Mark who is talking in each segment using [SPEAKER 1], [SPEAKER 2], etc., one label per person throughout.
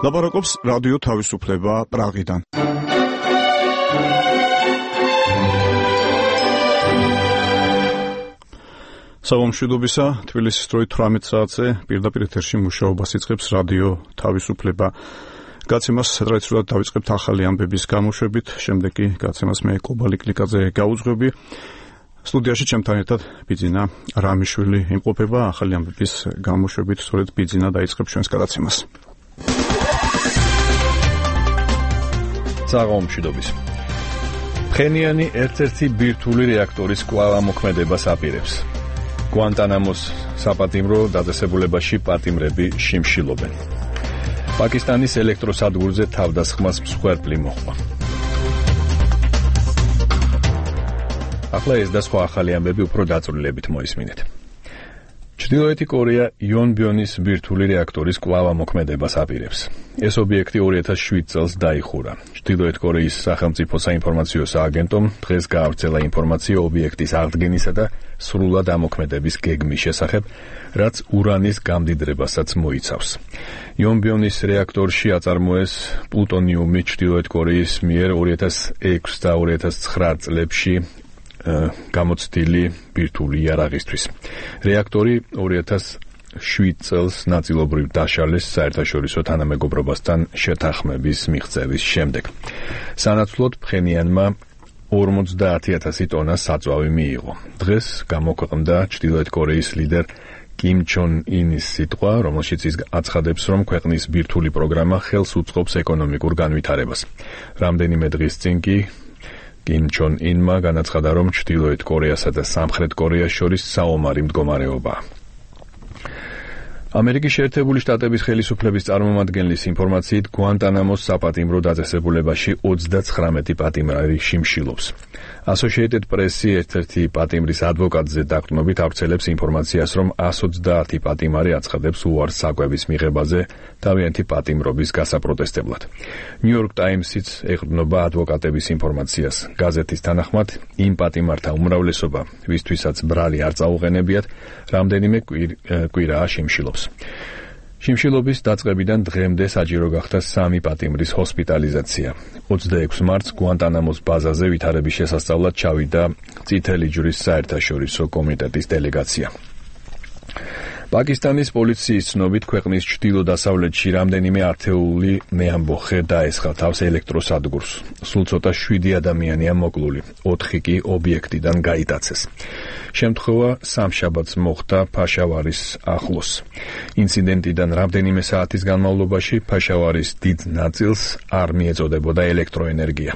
[SPEAKER 1] ლაპარაკობს რადიო თავისუფლება პრაღიდან. საღამოშიდობისა, თბილისის დროით 18 საათზე პირდაპირ ეთერში მუშაობას იწყებს რადიო თავისუფლება. გაცემას ტრადიციულად დავიწყებთ ახალი ამბების გამოშვებით, შემდეგ კი გაცემას მე კობალი კლიკაძე გაუძღვები. სტუდიაში ჩემთან ერთად ბიძინა რამიშვილი იმყოფება ახალი ამბების გამოშვებით, სწორედ ბიძინა დაიწყებს ჩვენს გადაცემას.
[SPEAKER 2] საღამოშიდობის. ფხენიანი ერთ-ერთი ბირთვული რეაქტორის კვლავამოქმედებას აპირებს. გვანტანამოს საპატიმრო დაწესებულებაში პატიმრები შიმშილობენ. პაკისტანის ელექტროსადგურზე თავდასხმას მსხვერპლი მოჰყვა. ახლა ეს და სხვა ახალი ამბები უფრო დაწვრილებით მოისმინეთ. ჩრდილოეთი კორეა იონბიონის ბირთვული რეაქტორის კვლავამოქმედებას აპირებს. ეს ობიექტი 2007 წელს დაიხურა. ჩრდილოეთ კორეის სახელმწიფო საინფორმაციო სააგენტომ დღეს გაავრცელა ინფორმაცია ობიექტის აღდგენისა და სრულად ამოქმედების გეგმის შესახებ, რაც ურანის გამდიდრებასაც მოიცავს. იონბიონის რეაქტორში აწარმოეს პლუტონიუმი ჩრდილოეთ კორეის მიერ 2006 და 2009 წლებში გამოცდილი ბირთვული იარაღისთვის. რეაქტორი 2007 წელს ნაწილობრივ დაშალეს საერთაშორისო თანამეგობრობასთან შეთანხმების მიღწევის შემდეგ. სანაცვლოდ ფხენიანმა 50,000 ტონა საწვავი მიიღო. დღეს გამოქვეყნდა ჩრდილოეთ კორეის ლიდერ კიმ ჩონ ინის სიტყვა, რომელშიც ის აცხადებს, რომ ქვეყნის ბირთვული პროგრამა ხელს უწყობს ეკონომიკურ განვითარებას. რამდენიმე დღის წინ კი კიმ ჩონ ინმა განაცხადა, რომ ჩრდილოეთ კორეასა და სამხრეთ კორეას შორის საომარი მდგომარეობაა. ამერიკის შეერთებული შტატების ხელისუფლების წარმომადგენლის ინფორმაციით, გვანტანამოს საპატიმრო დაწესებულებაში 39 პატიმარი შიმშილობს. Associated Press-ი ერთ-ერთი პატიმრის ადვოკატზე დაყრდნობით ავრცელებს ინფორმაციას, რომ 120 პატიმარი აცხადებს უარს საკვების მიღებაზე თავიანთი პატიმრობის გასაპროტესტებლად. New York Times-იც ეყრდნობა ადვოკატების ინფორმაციას. გაზეთის თანახმად, იმ პატიმართა უმრავლესობა, ვისთვისაც ბრალი არ წაუყენებიათ, რამდენიმე კვირაა შიმშილობს. შიმშილობის დაწყებიდან დღემდე საჭირო გახდა 3 პატიმრის ჰოსპიტალიზაცია. 26 მარტს გვანტანამოს ბაზაზე ვითარების შესასწავლად ჩავიდა წითელი ჯვრის საერთაშორისო კომიტეტის დელეგაცია. პაკისტანის პოლიციის ცნობით, ქვეყნის ჩრდილო-დასავლეთში რამდენიმე ათეული მეამბოხე დაესხა თავს ელექტროსადგურს. სულ ცოტა 7 ადამიანია მოკლული, 4 კი ობიექტიდან გაიტაცეს. შემთხვევა სამშაბათს მოხდა ფაშავარის ახლოს. ინციდენტიდან რამდენიმე საათის განმავლობაში ფაშავარის დიდ ნაწილს არ მიეწოდებოდა ელექტროენერგია.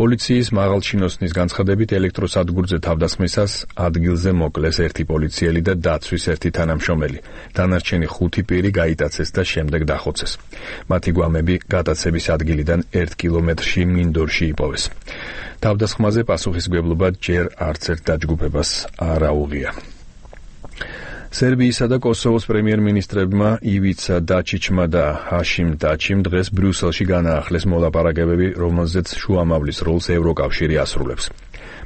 [SPEAKER 2] პოლიციის მაღალჩინოსნის განცხადებით, ელექტროსადგურზე თავდასხმისას ადგილზე მოკლეს ერთი პოლიციელი და დაცვის ერთი თანამშრომელი. დანარჩენი 5 პირი გაიტაცეს და შემდეგ დახოცეს. მათი გვამები გატაცების ადგილიდან 1 კილომეტრში მინდორში იპოვეს. თავდასხმაზე პასუხისმგებლობა ჯერ არც ერთ დაჯგუფებას არ აუღია. სერბიისა და კოსოვოს პრემიერ-მინისტრებმა ივიცა დაჩიჩმა და ჰაშიმ დაჩიმ დღეს ბრიუსელში განაახლეს მოლაპარაკებები, რომელზეც შუამავლის როლს ევროკავშირი ასრულებს.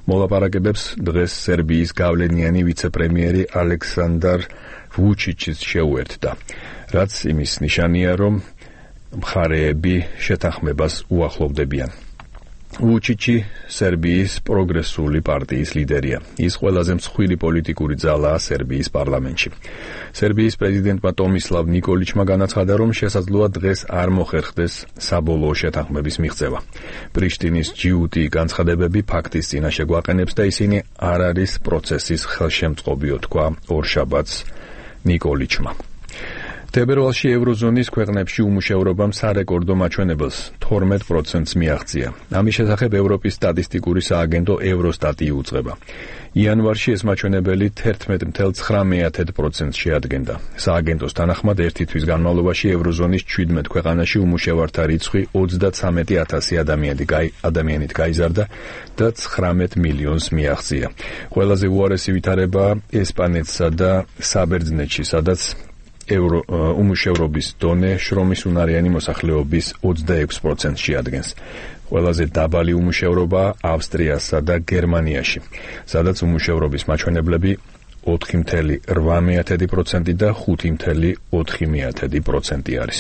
[SPEAKER 2] მოლაპარაკებებს დღეს სერბიის გავლენიანი ვიცე-პრემიერი ალექსანდარ ვუჩიჩიც შეუერთდა, რაც იმის ნიშანია, რომ მხარეები შეთანხმებას უახლოვდებიან. ვუჩიჩი სერბიის პროგრესული პარტიის ლიდერია. ის ყველაზე მსხვილი პოლიტიკური ძალაა სერბიის პარლამენტში. სერბიის პრეზიდენტმა ტომისლავ ნიკოლიჩმა განაცხადა, რომ შესაძლოა დღეს არ მოხერხდეს საბოლოო შეთანხმების მიღწევა. პრიშტინის ჯიუტი განცხადებები ფაქტის წინაშე გვაყენებს და ისინი არ არის პროცესის ხელშემწყობიო, თქვა ორშაბათს ნიკოლიჩმა. თებერვალში ევროზონის ქვეყნებში უმუშევრობამ სარეკორდო მაჩვენებელს 12%-ს მიაღწია. ამის შესახებ ევროპის სტატისტიკური სააგენტო ევროსტატი უძღვება. იანვარში ეს მაჩვენებელი 11,9%-ს შეადგენდა. სააგენტოს თანახმად, ერთი თვის განმავლობაში ევროზონის 17 ქვეყანაში უმუშევართა რიცხვი 33,000 ადამიანით გაიზარდა და 19 მილიონს მიაღწია. ყველაზე უარესი ვითარებაა ესპანეთსა და საბერძნეთში, სადაც უმუშევრობის დონე შრომის უნარიანი მოსახლეობის 26%-ს შეადგენს. ყველაზე დაბალი უმუშევრობაა ავსტრიასა და გერმანიაში, სადაც უმუშევრობის მაჩვენებლები 4,8% და 5,4% არის.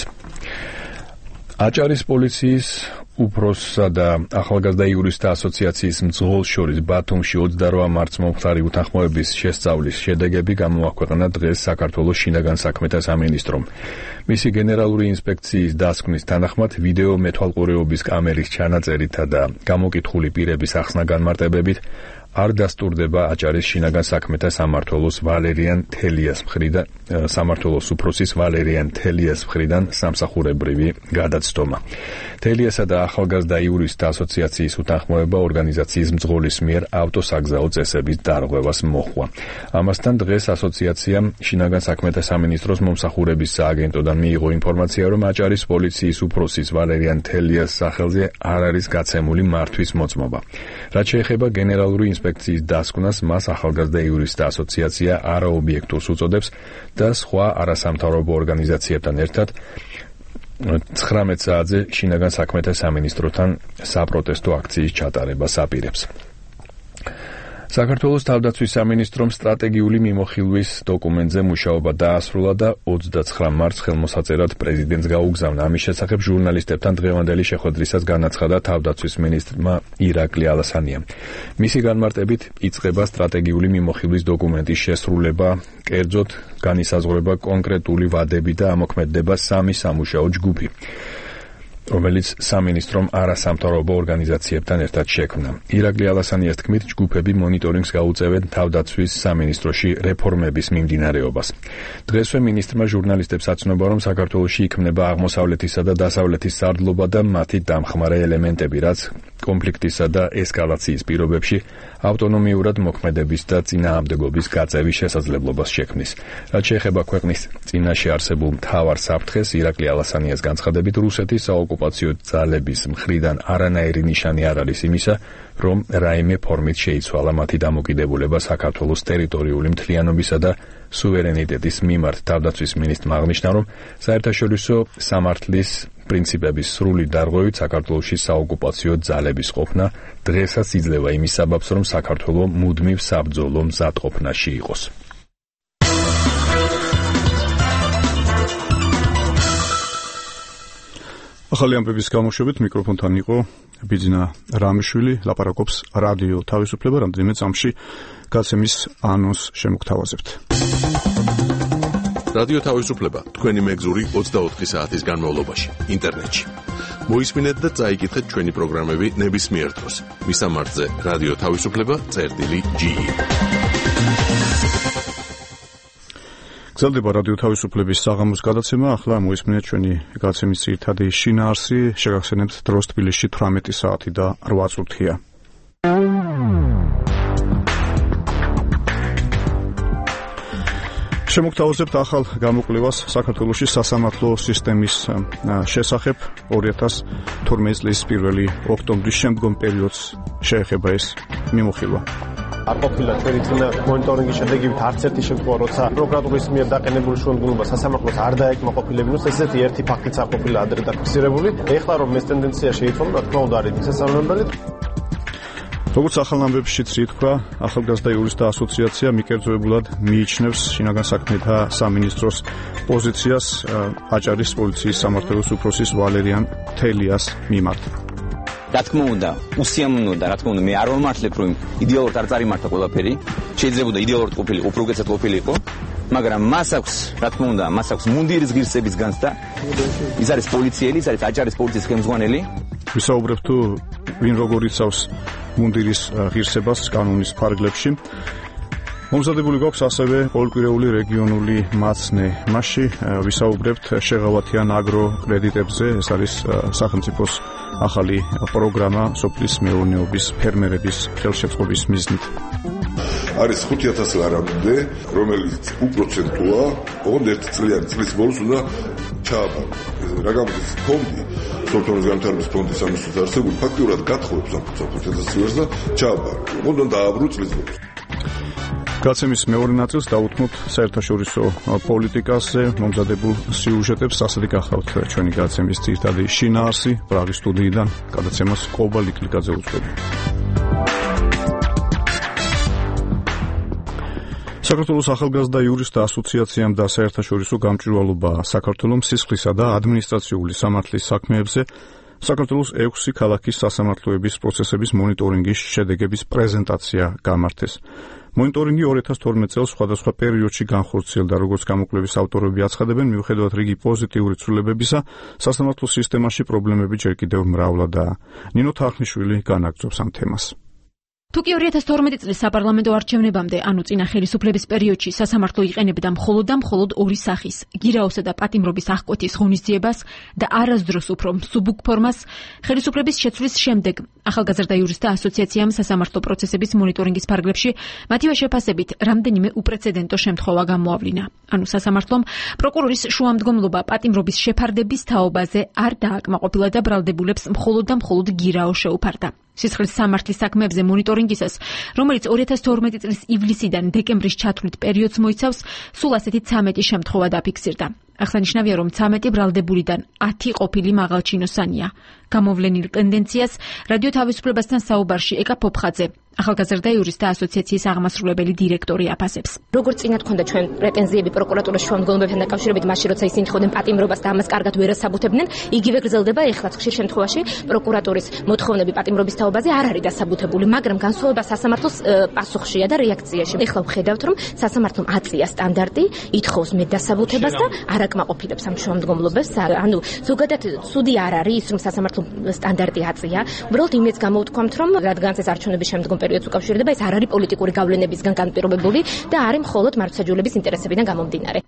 [SPEAKER 2] აჭარის პოლიციის უფროსსა და ახალგაზრდა იურისტთა ასოციაციის მძღოლს შორის ბათუმში 28 მარტს მომხდარი უთანხმოების შესწავლის შედეგები გამოაქვეყნა დღეს საქართველოს შინაგან საქმეთა სამინისტრომ. მისი გენერალური ინსპექციის დასკვნის თანახმად ვიდეო მეთვალყურეობის კამერის ჩანაწერითა და გამოკითხული პირების ახსნა-განმარტებებით არ დასტურდება აჭარის შინაგან საქმეთა სამმართველოს ვალერიან თელიას მხრიდან სამმართველოს უფროსის ვალერიან თელიას მხრიდან სამსახურებრივი გადაცდომა. თელიასა და ახალგაზრდა იურისტთა ასოციაციის უთანხმოება ორგანიზაციის მძღოლის მიერ ავტოსაგზაო წესების დარღვევას მოჰყვა. ამასთან დღეს ასოციაციამ შინაგან საქმეთა სამინისტროს მომსახურების სააგენტოდან მიიღო ინფორმაცია, რომ აჭარის პოლიციის უფროსის ვალერიან თელიას სახელზე არ არის გაცემული მართვის მოწმობა. რაც შეეხება გენერალური ინსპექციის დასკვნას, მას ახალგაზრდა იურისტთა ასოციაცია არაობიექტურს უწოდებს და სხვა არასამთავრობო ორგანიზაციებთან ერთად 19 საათზე შინაგან საქმეთა სამინისტროსთან საპროტესტო აქციის ჩატარებას აპირებს. საქართველოს თავდაცვის სამინისტრომ სტრატეგიული მიმოხილვის დოკუმენტზე მუშაობა დაასრულა და 29 მარტს ხელმოსაწერად პრეზიდენტს გაუგზავნა. ამის შესახებ ჟურნალისტებთან დღევანდელი შეხვედრისას განაცხადა თავდაცვის მინისტრმა ირაკლი ალასანიამ. მისი განმარტებით იწყება სტრატეგიული მიმოხილვის დოკუმენტის შესრულება, კერძოდ განისაზღვრება კონკრეტული ვადები და ამოქმედება 3 სამუშაო ჯგუფი, რომელიც სამინისტრომ არასამთავრობო ორგანიზაციებთან ერთად შექმნა. ირაკლი ალასანიას თქმით, ჯგუფები მონიტორინგს გაუწევენ თავდაცვის სამინისტროში რეფორმების მიმდინარეობას. დღესვე მინისტრმა ჟურნალისტებს აცნობა, რომ საქართველოში იქმნება აღმოსავლეთისა და დასავლეთის სარდლობა და მათი დამხმარე ელემენტები, რაც კონფლიქტისა და ესკალაციის პირობებში ავტონომიურად მოქმედების და წინააღმდეგობის გაწევის შესაძლებლობას შექმნის. რაც შეეხება ქვეყნის წინაშე არსებულ მთავარ საფრთხეს, ირაკლი ალასანიას განცხადებით, რუსეთის საოკუპაციო ძალების მხრიდან არანაირი ნიშანი არ არის იმისა, რომ რაიმე ფორმით შეიცვალა მათი დამოკიდებულება საქართველოს ტერიტორიული მთლიანობისა და სუვერენიტეტის მიმართ. თავდაცვის მინისტრმა აღნიშნა, რომ საერთაშორისო სამართლის პრინციპების სრული დარღვევით საქართველოში საოკუპაციო ძალების ყოფნა დღესაც იძლევა იმის საბაბს, რომ საქართველო მუდმივ საბრძოლო მზადყოფნაში იყოს.
[SPEAKER 1] ახალი ამბების გამოშვებით მიკროფონთან იყო ბიძინა რამიშვილი, ლაპარაკობს რადიო თავისუფლება. რამდენიმე წამში გაცემის ანონსს შემოგთავაზებთ.
[SPEAKER 3] რადიო თავისუფლება თქვენი მეგზური 24 საათის განმავლობაში ინტერნეტში. მოისმინეთ და წაიკითხეთ ჩვენი პროგრამები ნებისმიერ დროს. მისამართზე რადიო თავისუფლება.ge.
[SPEAKER 1] გრძელდება რადიო თავისუფლების საღამოს გადაცემა. ახლა მოისმინეთ ჩვენი გაცემის ძირითადი შინაარსი. შეგახსენებთ დროს თბილისში 18 საათი და 8 წუთია. შემოგთავაზებთ ახალ გამოკვლევას საქართველოში სასამართლო სისტემის შესახებ. 2012 წლის 1 ოქტომბრის შემდგომ პერიოდს შეეხება ეს მიმოხილვა.
[SPEAKER 4] არ ყოფილა ჩვენი წინა მონიტორინგის შედეგებით არც ერთი შემთხვევა, როცა პროკურატურის მიერ დაყენებული შუამდგომლობა სასამართლოს არ დაეკმაყოფილებინოს, ესეთი ერთი ფაქტიც არ ყოფილა ადრე დაფიქსირებული. ეხლა რომ ეს ტენდენცია შეიცვალა, რა თქმა უნდა არის მისასალმებელი.
[SPEAKER 1] როგორც ახალ ამბებშიც ითქვა, ახალგაზრდა იურისტთა ასოციაცია მიკერძოებულად მიიჩნევს შინაგან საქმეთა სამინისტროს პოზიციას აჭარის პოლიციის სამმართველოს უფროსის ვალერიან თელიას მიმართ.
[SPEAKER 5] რა თქმა უნდა, უსიამოვნოა, რა თქმა უნდა, მე არ ვამართლებ, რომ იდეალურად არ წარიმართა ყველაფერი. შეიძლება იდეალურად ყოფილიყო, უფრო უკეთესად ყოფილიყო, მაგრამ მას აქვს, რა თქმა უნდა, მას აქვს მუნდირის ღირსების განცდა. ის არის პოლიციელი, ის არის აჭარის პოლიციის ხელმძღვანელი.
[SPEAKER 1] ვისაუბრებ თუ ვინ როგორ იცავს მუნდირის ღირსებას კანონის ფარგლებში. მომზადებული გვაქვს ასევე ყოველკვირეული რეგიონული მაცნე. მასში ვისაუბრებთ შეღავათიან აგრო კრედიტებზე. ეს არის სახელმწიფოს ახალი პროგრამა სოფლის მეურნეობის ფერმერების ხელშეწყობის მიზნით.
[SPEAKER 6] არის 5000 ლარამდე, რომელიც უპროცენტოა, ოღონდ 1 წლიანი წლის ბოლოს უნდა ჩააბარო. რა გამოდის ფონდი, სოფლის განვითარების ფონდის ამისთვის არსებული ფაქტურად გათხოვებს ამ 5000 ლარს და ჩააბარო. ოღონდ დააბრუნო წლის ბოლოს.
[SPEAKER 1] გაცემის მეორე ნაწილს დაუთმობთ საერთაშორისო პოლიტიკაზე მომზადებულ სიუჟეტებს. ასეთი გახლავთ ჩვენი გაცემის ძირითადი შინაარსი. პრაღის სტუდიიდან გადაცემას ყობა ლიკლიძე უძღვები. საქართველოს ახალგაზრდა იურისტთა ასოციაციამ და საერთაშორისო გამჭვირვალობა საქართველოს სისხლისა და ადმინისტრაციული სამართლის საქმეებზე საქართველოს 6 ქალაქის სასამართლოების პროცესების მონიტორინგის შედეგების პრეზენტაცია გამართეს. მონიტორინგი 2012 წელს სხვადასხვა პერიოდში განხორციელდა, როგორც გამოკვლევის ავტორები აცხადებენ, მიუხედავად რიგი პოზიტიური ცვლილებებისა, სასამართლო სისტემაში პრობლემები ჯერ კიდევ მრავლადაა. ნინო თახნიშვილი განაგრძობს ამ თემას.
[SPEAKER 7] თუკი 2012 წლის საპარლამენტო არჩევნებამდე, ანუ წინა ხელისუფლების პერიოდში სასამართლო იყენებდა მხოლოდ ორი სახის, გირაოსა და პატიმრობის აღკვეთის ღონისძიებას და არასდროს უფრო მსუბუქ ფორმას, ხელისუფლების შეცვლის შემდეგ ახალგაზრდა იურისტთა ასოციაციამ სასამართლო პროცესების მონიტორინგის ფარგლებში მათივე შეფასებით რამდენიმე უპრეცედენტო შემთხვევა გამოავლინა. ანუ სასამართლომ პროკურორის შუამდგომლობა პატიმრობის შეფარდების თაობაზე არ დააკმაყოფილა და ბრალდებულებს მხოლოდ გირაო შეუფარდა. სისხლის სამართლის საქმეებზე მონიტორინგისას, რომელიც 2012 წლის ივლისიდან დეკემბრის ჩათვლით პერიოდს მოიცავს, სულ ასეთი 13 შემთხვევა დაფიქსირდა. აღსანიშნავია, რომ 13 ბრალდებულიდან 10 ყოფილი მაღალჩინოსანია. გამოვლენილ ტენდენციას რადიო თავისუფლებასთან საუბარში ეკა ფოფხაძე, ახალგაზრდა იურისტთა ასოციაციის აღმასრულებელი დირექტორი აფასებს.
[SPEAKER 8] როგორც წინათ ქონდა ჩვენ პრეტენზიები პროკურატურის შუამდგომლობებთან დაკავშირებით, მაშინ როცა ისინი თხოვდნენ პატიმრობას და ამას კარგად ვერ ასაბუთებდნენ, იგივე გრძელდება ეხლაც ხშირ შემთხვევაში პროკურატურის მოთხოვნები პატიმრობის თაობაზე არ არის დასაბუთებული, მაგრამ განსხვავება სასამართლოს პასუხშია და რეაქციაში. ეხლა ვხედავთ, რომ სასამართლომ აწია სტანდარტი, ითხოვს მე დასაბუთებას და არ აკმაყოფილებს ამ შუამდგომლობებს. ანუ ზოგადად ცუდი არ არის ის, რომ სასამართლო სტანდარტი აწია. უბრალოდ იმედს გამოვთქვამთ, რომ რადგანაც ეს არჩევნების შემდგომ პერიოდს უკავშირდება, ეს არ არის პოლიტიკური გავლენებისგან განპირობებული და არის მხოლოდ მართლმსაჯულების ინტერესებიდან გამომდინარე.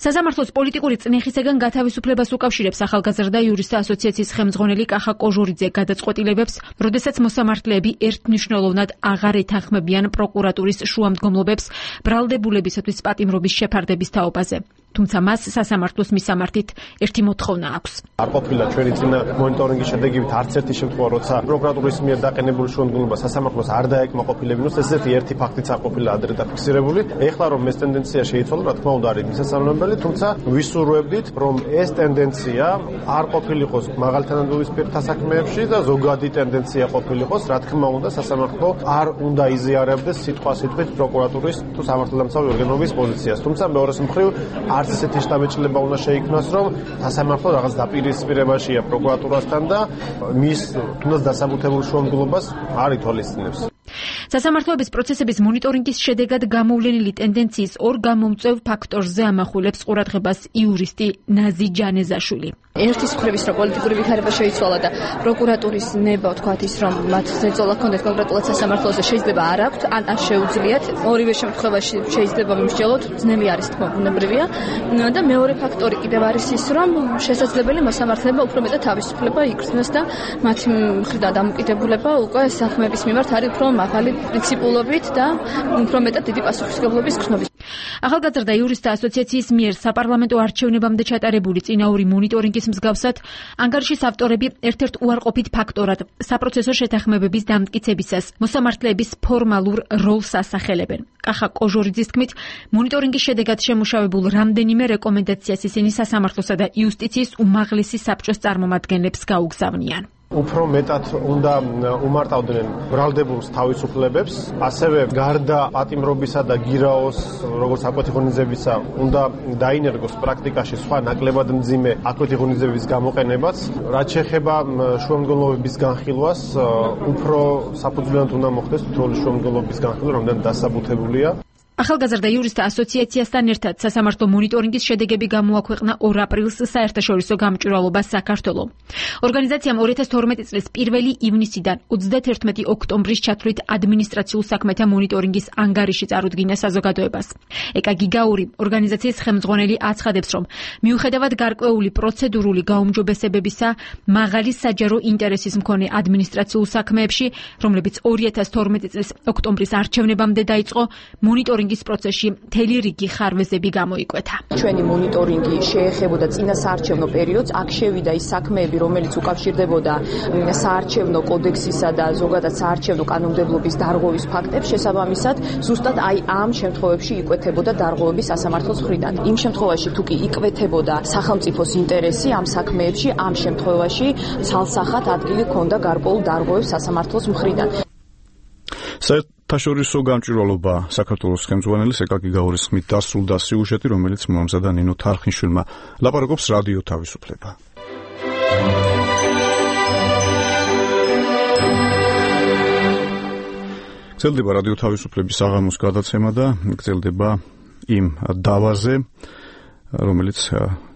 [SPEAKER 7] სასამართლოს პოლიტიკური წნეხისგან გათავისუფლებას უკავშირებს ახალგაზრდა იურისტთა ასოციაციის ხელმძღვანელი კახა კოჟურიძე გადაწყვეტილებებს, როდესაც მოსამართლეები ერთმნიშვნელოვნად აღარ ეთანხმებიან პროკურატურის შუამდგომლობებს ბრალდებულებისათვის პატიმრობის შეფარდების თაობაზე. თუმცა მას სასამართლოს მისამართით ერთი მოთხოვნა აქვს.
[SPEAKER 4] არ ყოფილა ჩვენი წინა მონიტორინგის შედეგებით არც ერთი შემთხვევა, როცა პროკურატურის მიერ დაყენებული შუამდგომლობა სასამართლოს არ დაეკმაყოფილებინოს, ესეთი ერთი ფაქტიც არ ყოფილა ადრე დაფიქსირებული. ეხლა რომ ეს ტენდენცია შეიცვალა, რა თქმა უნდა არის მისასალმებელი, თუმცა ვისურვებდით, რომ ეს ტენდენცია არ ყოფილიყოს მაღალთანადობისპირთა საქმეებში და ზოგადი ტენდენცია ყოფილიყოს, რა თქმა უნდა, სასამართლო არ უნდა იზიარებდეს სიტყვასიტყვით პროკურატურის თუ სამართალდამცავი ორგანოების პოზიციას. თუმცა მეორეს მხრივ არც ესეთი შტაბეჭდილება უნდა შეიქმნას, რომ სასამართლო რაღაც დაპირისპირებაშია პროკურატურასთან და მის თუნდაც დასაბუთებულ შუამდგომლობას არ ითვალისწინებს.
[SPEAKER 7] სასამართლოების პროცესების მონიტორინგის შედეგად გამოვლენილი ტენდენციის ორ გამომწვევ ფაქტორზე ამახვილებს ყურადღებას იურისტი ნაზი ჯანეზაშვილი.
[SPEAKER 9] ერთის მხრივ ის, რომ პოლიტიკური ვითარება შეიცვალა და პროკურატურის ნება, თქვათ ის, რომ მათ ზეწოლა ჰქონდეთ კონკრეტულად სასამართლოზე, შეიძლება არ აქვთ, ან შეუძლიათ. ორივე შემთხვევაში შეიძლება მიმსჯელოთ, ძნელი არის თქმა ბუნებრივია. და მეორე ფაქტორი კიდევ არის ის, რომ შესაძლებელი მოსამართლეებმა უფრო მეტად თავისუფლება იგრძნოს და მათი მხრიდან დამოკიდებულება უკვე საქმეების მიმართ არის უფრო მაღალი პრინციპულობით და უფრო მეტად დიდი პასუხისმგებლობის გრძნობით.
[SPEAKER 7] ახალგაზრდა იურისტთა ასოციაციის მიერ საპარლამენტო არჩევნებამდე ჩატარებული წინაური მონიტორინგის მსგავსად, ანგარიშის ავტორები ერთ-ერთ უარყოფით ფაქტორად საპროცესო შეთანხმებების დამტკიცებისას მოსამართლეების ფორმალურ როლს ასახელებენ. კახა კოჟორიძის თქმით, მონიტორინგის შედეგად შემუშავებულ რამდენიმე რეკომენდაციას ისინი სასამართლოსა და იუსტიციის უმაღლესი საბჭოს წარმომადგენლებს გაუგზავნიან.
[SPEAKER 4] უფრო მეტად უნდა უმარტავდნენ ბრალდებულს თავისუფლებებს, ასევე გარდა პატიმრობისა და გირაოს, როგორც აკვეთი ღონისძიებისა, უნდა დაინერგოს პრაქტიკაში სხვა ნაკლებად მძიმე აკვეთი ღონისძიების გამოყენებაც. რაც შეეხება შუამდგომლობების განხილვას, უფრო საფუძვლიანად უნდა მოხდეს თითოეული შუამდგომლობის განხილვა, რომელსაც დასაბუთებულია.
[SPEAKER 7] ახალგაზრდა იურისტთა ასოციაციასთან ერთად სასამართლო მონიტორინგის შედეგები გამოაქვეყნა 2 აპრილს საერთაშორისო გამჭვირვალობა საქართველო. ორგანიზაციამ 2012 წლის 1 ივნისიდან 31 ოქტომბრის ჩათვლით ადმინისტრაციულ საქმეთა მონიტორინგის ანგარიში წარუდგინა საზოგადოებას. ეკა გიგაური, ორგანიზაციის ხელმძღვანელი, აცხადებს, რომ მიუხედავად გარკვეული პროცედურული გაუმჯობესებებისა, მაღალი საჯარო ინტერესის მქონე ადმინისტრაციულ საქმეებში, რომლებიც 2012 წლის ოქტომბრის არჩევნებამდე დაიწყო, მონიტორინგის პროცესში მთელი რიგი ხარვეზები გამოიკვეთა.
[SPEAKER 10] ჩვენი მონიტორინგი შეეხებოდა წინა საარჩევნო პერიოდს, აქ შევიდა ის საქმეები, რომელიც უკავშირდებოდა საარჩევნო კოდექსისა და ზოგადად საარჩევნო კანონმდებლობის დარღვევის ფაქტებს, შესაბამისად, ზუსტად აი ამ შემთხვევებში იკვეთებოდა დარღვევები სასამართლოს მხრიდან. იმ შემთხვევაში თუ კი იკვეთებოდა სახელმწიფოს ინტერესი ამ საქმეებში, ამ შემთხვევაში ცალსახად ადგილი ჰქონდა გარკვეულ დარღვევებს სასამართლოს მხრიდან.
[SPEAKER 1] თაშორისო გამჭვირვალობა საქართველოს ხელმძღვანელის ეკაკი გაურის ხმით დასრულდა სიუჟეტი, რომელიც მოამზადა ნინო თარხნიშვილმა. ლაპარაკობს რადიო თავისუფლება. გრძელდება რადიო თავისუფლების აღამოს გადაცემა და გრძელდება იმ დავაზე, რომელიც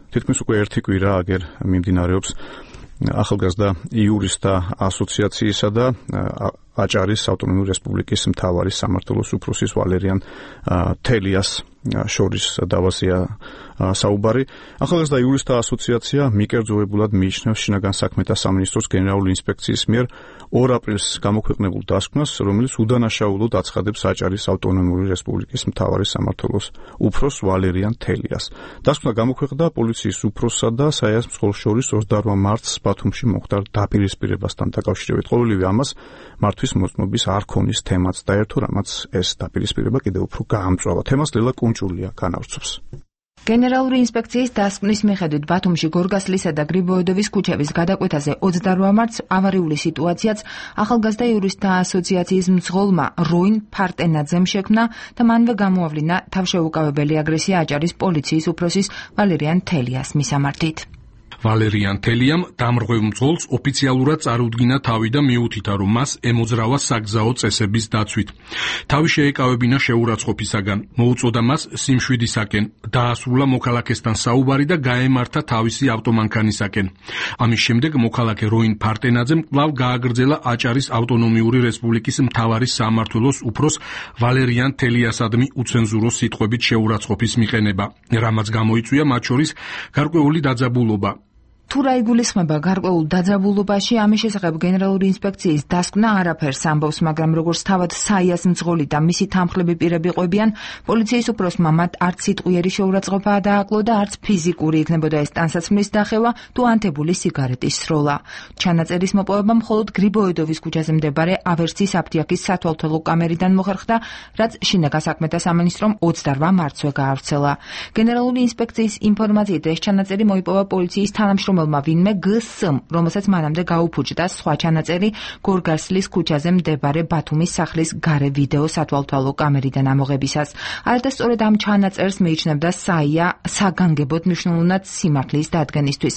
[SPEAKER 1] თითქმის უკვე ერთი კვირა აგერ მიმდინარეობს ახალგაზრდა იურისტთა ასოციაციისა და აჭარის ავტონომიური რესპუბლიკის მთავარი სამმართველოს უფროსის ვალერიან თელიას შორის დავაზეა საუბარი. ახალგაზრდა იურისტთა ასოციაცია მიკერძოებულად მიიჩნევს შინაგან საქმეთა სამინისტროს გენერალური ინსპექციის მიერ 2 აპრილს გამოქვეყნებულ დასკვნას, რომელიც უდანაშაულოდ აცხადებს აჭარის ავტონომიური რესპუბლიკის მთავარი სამმართველოს უფროს ვალერიან თელიას. დასკვნა გამოქვეყნდა პოლიციის უფროსსა და საიას მძღოლს შორის 28 მარტს ბათუმში მოხდარ დაპირისპირებასთან დაკავშირებით. ყოველივე ამას მართვის მოწმობის არ ქონის თემაც დაერთო, რამაც ეს დაპირისპირება კიდევ უფრო გაამწვავა. თემას ლელა კუნჭულია განავრცობს.
[SPEAKER 11] გენერალური ინსპექციის დასკვნის მიხედვით ბათუმში გორგასლისა და გრიბოედოვის ქუჩების გადაკვეთაზე 28 მარტს ავარიული სიტუაციაც ახალგაზრდა იურისტთა ასოციაციის მძღოლმა როინ ფარტენაძემ შექმნა და მანვე გამოავლინა თავშეუკავებელი აგრესია აჭარის პოლიციის უფროსის ვალერიან თელიას მისამართით.
[SPEAKER 12] ვალერიან თელიამ დამრღვევ მძღოლს ოფიციალურად წარუდგინა თავი და მიუთითა, რომ მას ემოძრავა საგზაო წესების დაცვით. თავი შეეკავებინა შეურაცხყოფისაგან, მოუწოდა მას სიმშვიდისაკენ, დაასრულა მოქალაქესთან საუბარი და გაემართა თავისი ავტომანქანისაკენ. ამის შემდეგ მოქალაქე როინ ფარტენაძემ კვლავ გააგრძელა აჭარის ავტონომიური რესპუბლიკის მთავარი სამმართველოს უფროს ვალერიან თელიასადმი უცენზურო სიტყვებით შეურაცხყოფის მიყენება, რამაც გამოიწვია მათ შორის გარკვეული დაძაბულობა.
[SPEAKER 11] თუ რა იგულისხმება გარკვეულ დაძაბულობაში, ამის შესახებ გენერალური ინსპექციის დასკვნა არაფერს ამბობს, მაგრამ როგორც თავად საიას მძღოლი და მისი თანხლები პირები ყვებიან, პოლიციის უფროსმა მათ არც სიტყვიერი შეურაცხყოფა დააკლო და არც ფიზიკური იქნებოდა ეს ტანსაცმლის დახევა თუ ანთებული სიგარეტის სროლა. ჩანაწერის მოპოვება მხოლოდ გრიბოედოვის ქუჩაზე მდებარე ავერსის აფთიაქის სათვალთვალო კამერიდან მოხერხდა, რაც შინაგან საქმეთა სამინისტრომ 28 მარტსვე გაავრცელა. გენერალური ინსპექციის ინფორმაციით ეს ჩანაწერი მოიპოვა პოლიციის თანამშრომელმა ვინმე გს-ს, რომელსაც მანამდე გაუფუჭდა სხვა ჩანაწერი გორგასლის ქუჩაზე მდებარე ბათუმის სახლის გარე ვიდეო სათვალთვალო კამერიდან ამოღებისას. არადასწორად ამ ჩანაწერს მიიჩნევდა საია საგანგებოდ მნიშვნელოვნად სიმართლის დადგენისთვის.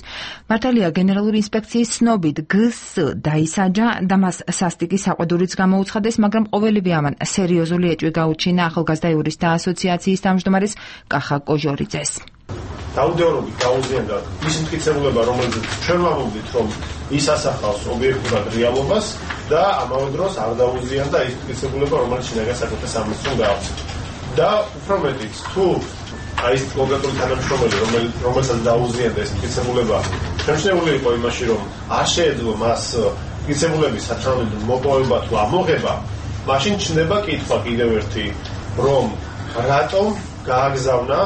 [SPEAKER 11] მართალია გენერალური ინსპექციის ცნობით გს-ს დაისაჯა და მას სასტიკი საყვედურიც გამოუცხადეს, მაგრამ ყოველივე ამან სერიოზული ეჭვი გაუჩინა ახალგაზრდა იურისტთა ასოციაციის თავმჯდომარეს კახა კოჟორიძეს.
[SPEAKER 4] დაუდევრობით გაუზიანდა ის მტკიცებულება, რომელიც ჩვენ ვამბობთ, რომ ის ასახავს ობიექტურად რეალობას და ამავე დროს არ დაუზიანდა ის მტკიცებულება, რომელიც შინაგან საქმეთა სამინისტრომ გაავრცელა. და უფრო მეტიც, თუ აი ეს კონკრეტული თანამშრომელი, რომელსაც დაუზიანდა ეს მტკიცებულება, შემჩნეული იყო იმაში, რომ არ შეეძლო მას მტკიცებულების სათანადო მოპოვება თუ ამოღება, მაშინ ჩნდება კითხვა კიდევ ერთი, რომ რატომ გააგზავნა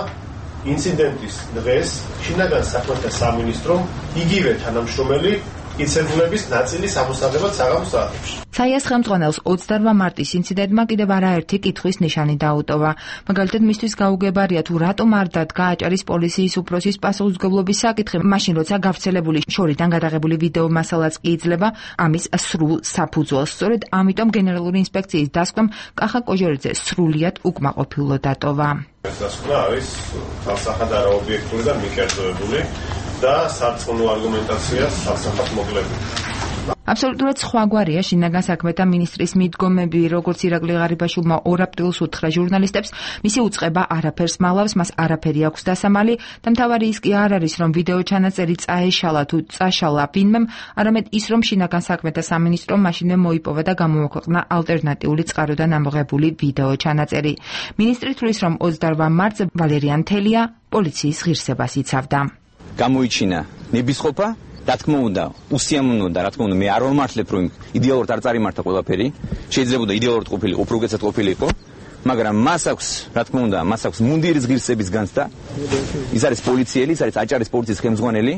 [SPEAKER 4] ინციდენტის დღეს შინაგან საქმეთა სამინისტრომ იგივე თანამშრომელი მტკიცებულების ნაწილის ამოსაღებად საღამოს საათებში.
[SPEAKER 11] საიას ხელმძღვანელს 28 მარტის ინციდენტმა კიდევ არაერთი კითხვის ნიშანი დაუტოვა. მაგალითად, მისთვის გაუგებარია თუ რატომ არ დადგა აჭარის პოლიციის უფროსის პასუხისმგებლობის საკითხი, მაშინ როცა გავრცელებული შორიდან გადაღებული ვიდეო მასალაც კი იძლევა ამის სრულ საფუძველს. სწორედ ამიტომ გენერალური ინსპექციის დასკვნამ კახა კოჟორიძე სრულიად უკმაყოფილო დატოვა.
[SPEAKER 4] ეს დასკვნა არის თავსახად არაობიექტური და მიკერძოებული და სარწმუნო არგუმენტაციას ასახავს მოკლებული.
[SPEAKER 11] აბსოლუტურად სხვაგვარია შინაგან საქმეთა მინისტრის მიდგომები, როგორც ირაკლი ღარიბაშვილმა 2 აპრილს უთხრა ჟურნალისტებს, მისი უწყება არაფერს მალავს, მას არაფერი აქვს დასამალი და მთავარი ის კი არ არის, რომ ვიდეო ჩანაწერი წაეშალა თუ წაშალა ვინმემ, არამედ ის, რომ შინაგან საქმეთა სამინისტრომ მაშინვე მოიპოვა და გამოაქვეყნა ალტერნატიული წყაროდან ამოღებული ვიდეო ჩანაწერი. მინისტრი თვლის, რომ 28 მარტს ვალერიან თელია პოლიციის ღირსებას იცავდა.
[SPEAKER 5] გამოიჩინა ნებისყოფა, რა თქმა უნდა, უსიამოვნო და რა თქმა უნდა, მე არ ვამართლებ, რომ იდეალურად არ წარიმართა ყველაფერი, შეიძლება იდეალურად ყოფილიყო, უფრო უკეთესად ყოფილიყო, მაგრამ მას აქვს, რა თქმა უნდა, მას აქვს მუნდირის ღირსების განცდა. ის არის პოლიციელი, ის არის აჭარის პოლიციის ხელმძღვანელი,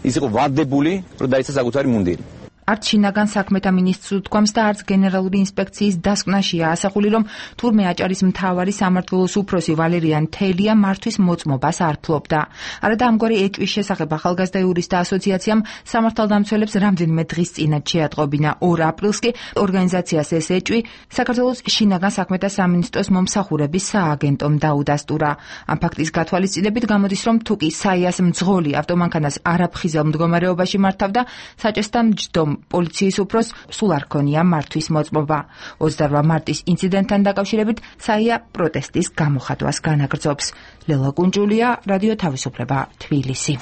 [SPEAKER 5] ის იყო ვადებული, რომ დაიცა საკუთარი მუნდირი.
[SPEAKER 11] არც შინაგან საქმეთა მინისტრს უთქვამს და არც გენერალური ინსპექციის დასკვნაშია ასახული, რომ თურმე აჭარის მთავარი სამმართველოს უფროსი ვალერიან თელია მართვის მოწმობას არ ფლობდა. არადა ამგვარი ეჭვის შესახებ ახალგაზრდა იურისტთა ასოციაციამ სამართალდამცველებს რამდენიმე დღის წინათ შეატყობინა. 2 აპრილს კი ორგანიზაციას ეს ეჭვი საქართველოს შინაგან საქმეთა სამინისტროს მომსახურების სააგენტომ დაუდასტურა. ამ ფაქტის გათვალისწინებით გამოდის, რომ თუკი საიას მძღოლი ავტომანქანას არაფხიზელ მდგომარეობაში მართავდა, საჭესთან მჯდომ პოლიციის უფროს სულ არ ქონია მართვის მოწმობა. 28 მარტის ინციდენტთან დაკავშირებით საია პროტესტის გამოხატვას განაგრძობს. ლელა კუნჯულია, რადიო თავისუფლება, თბილისი.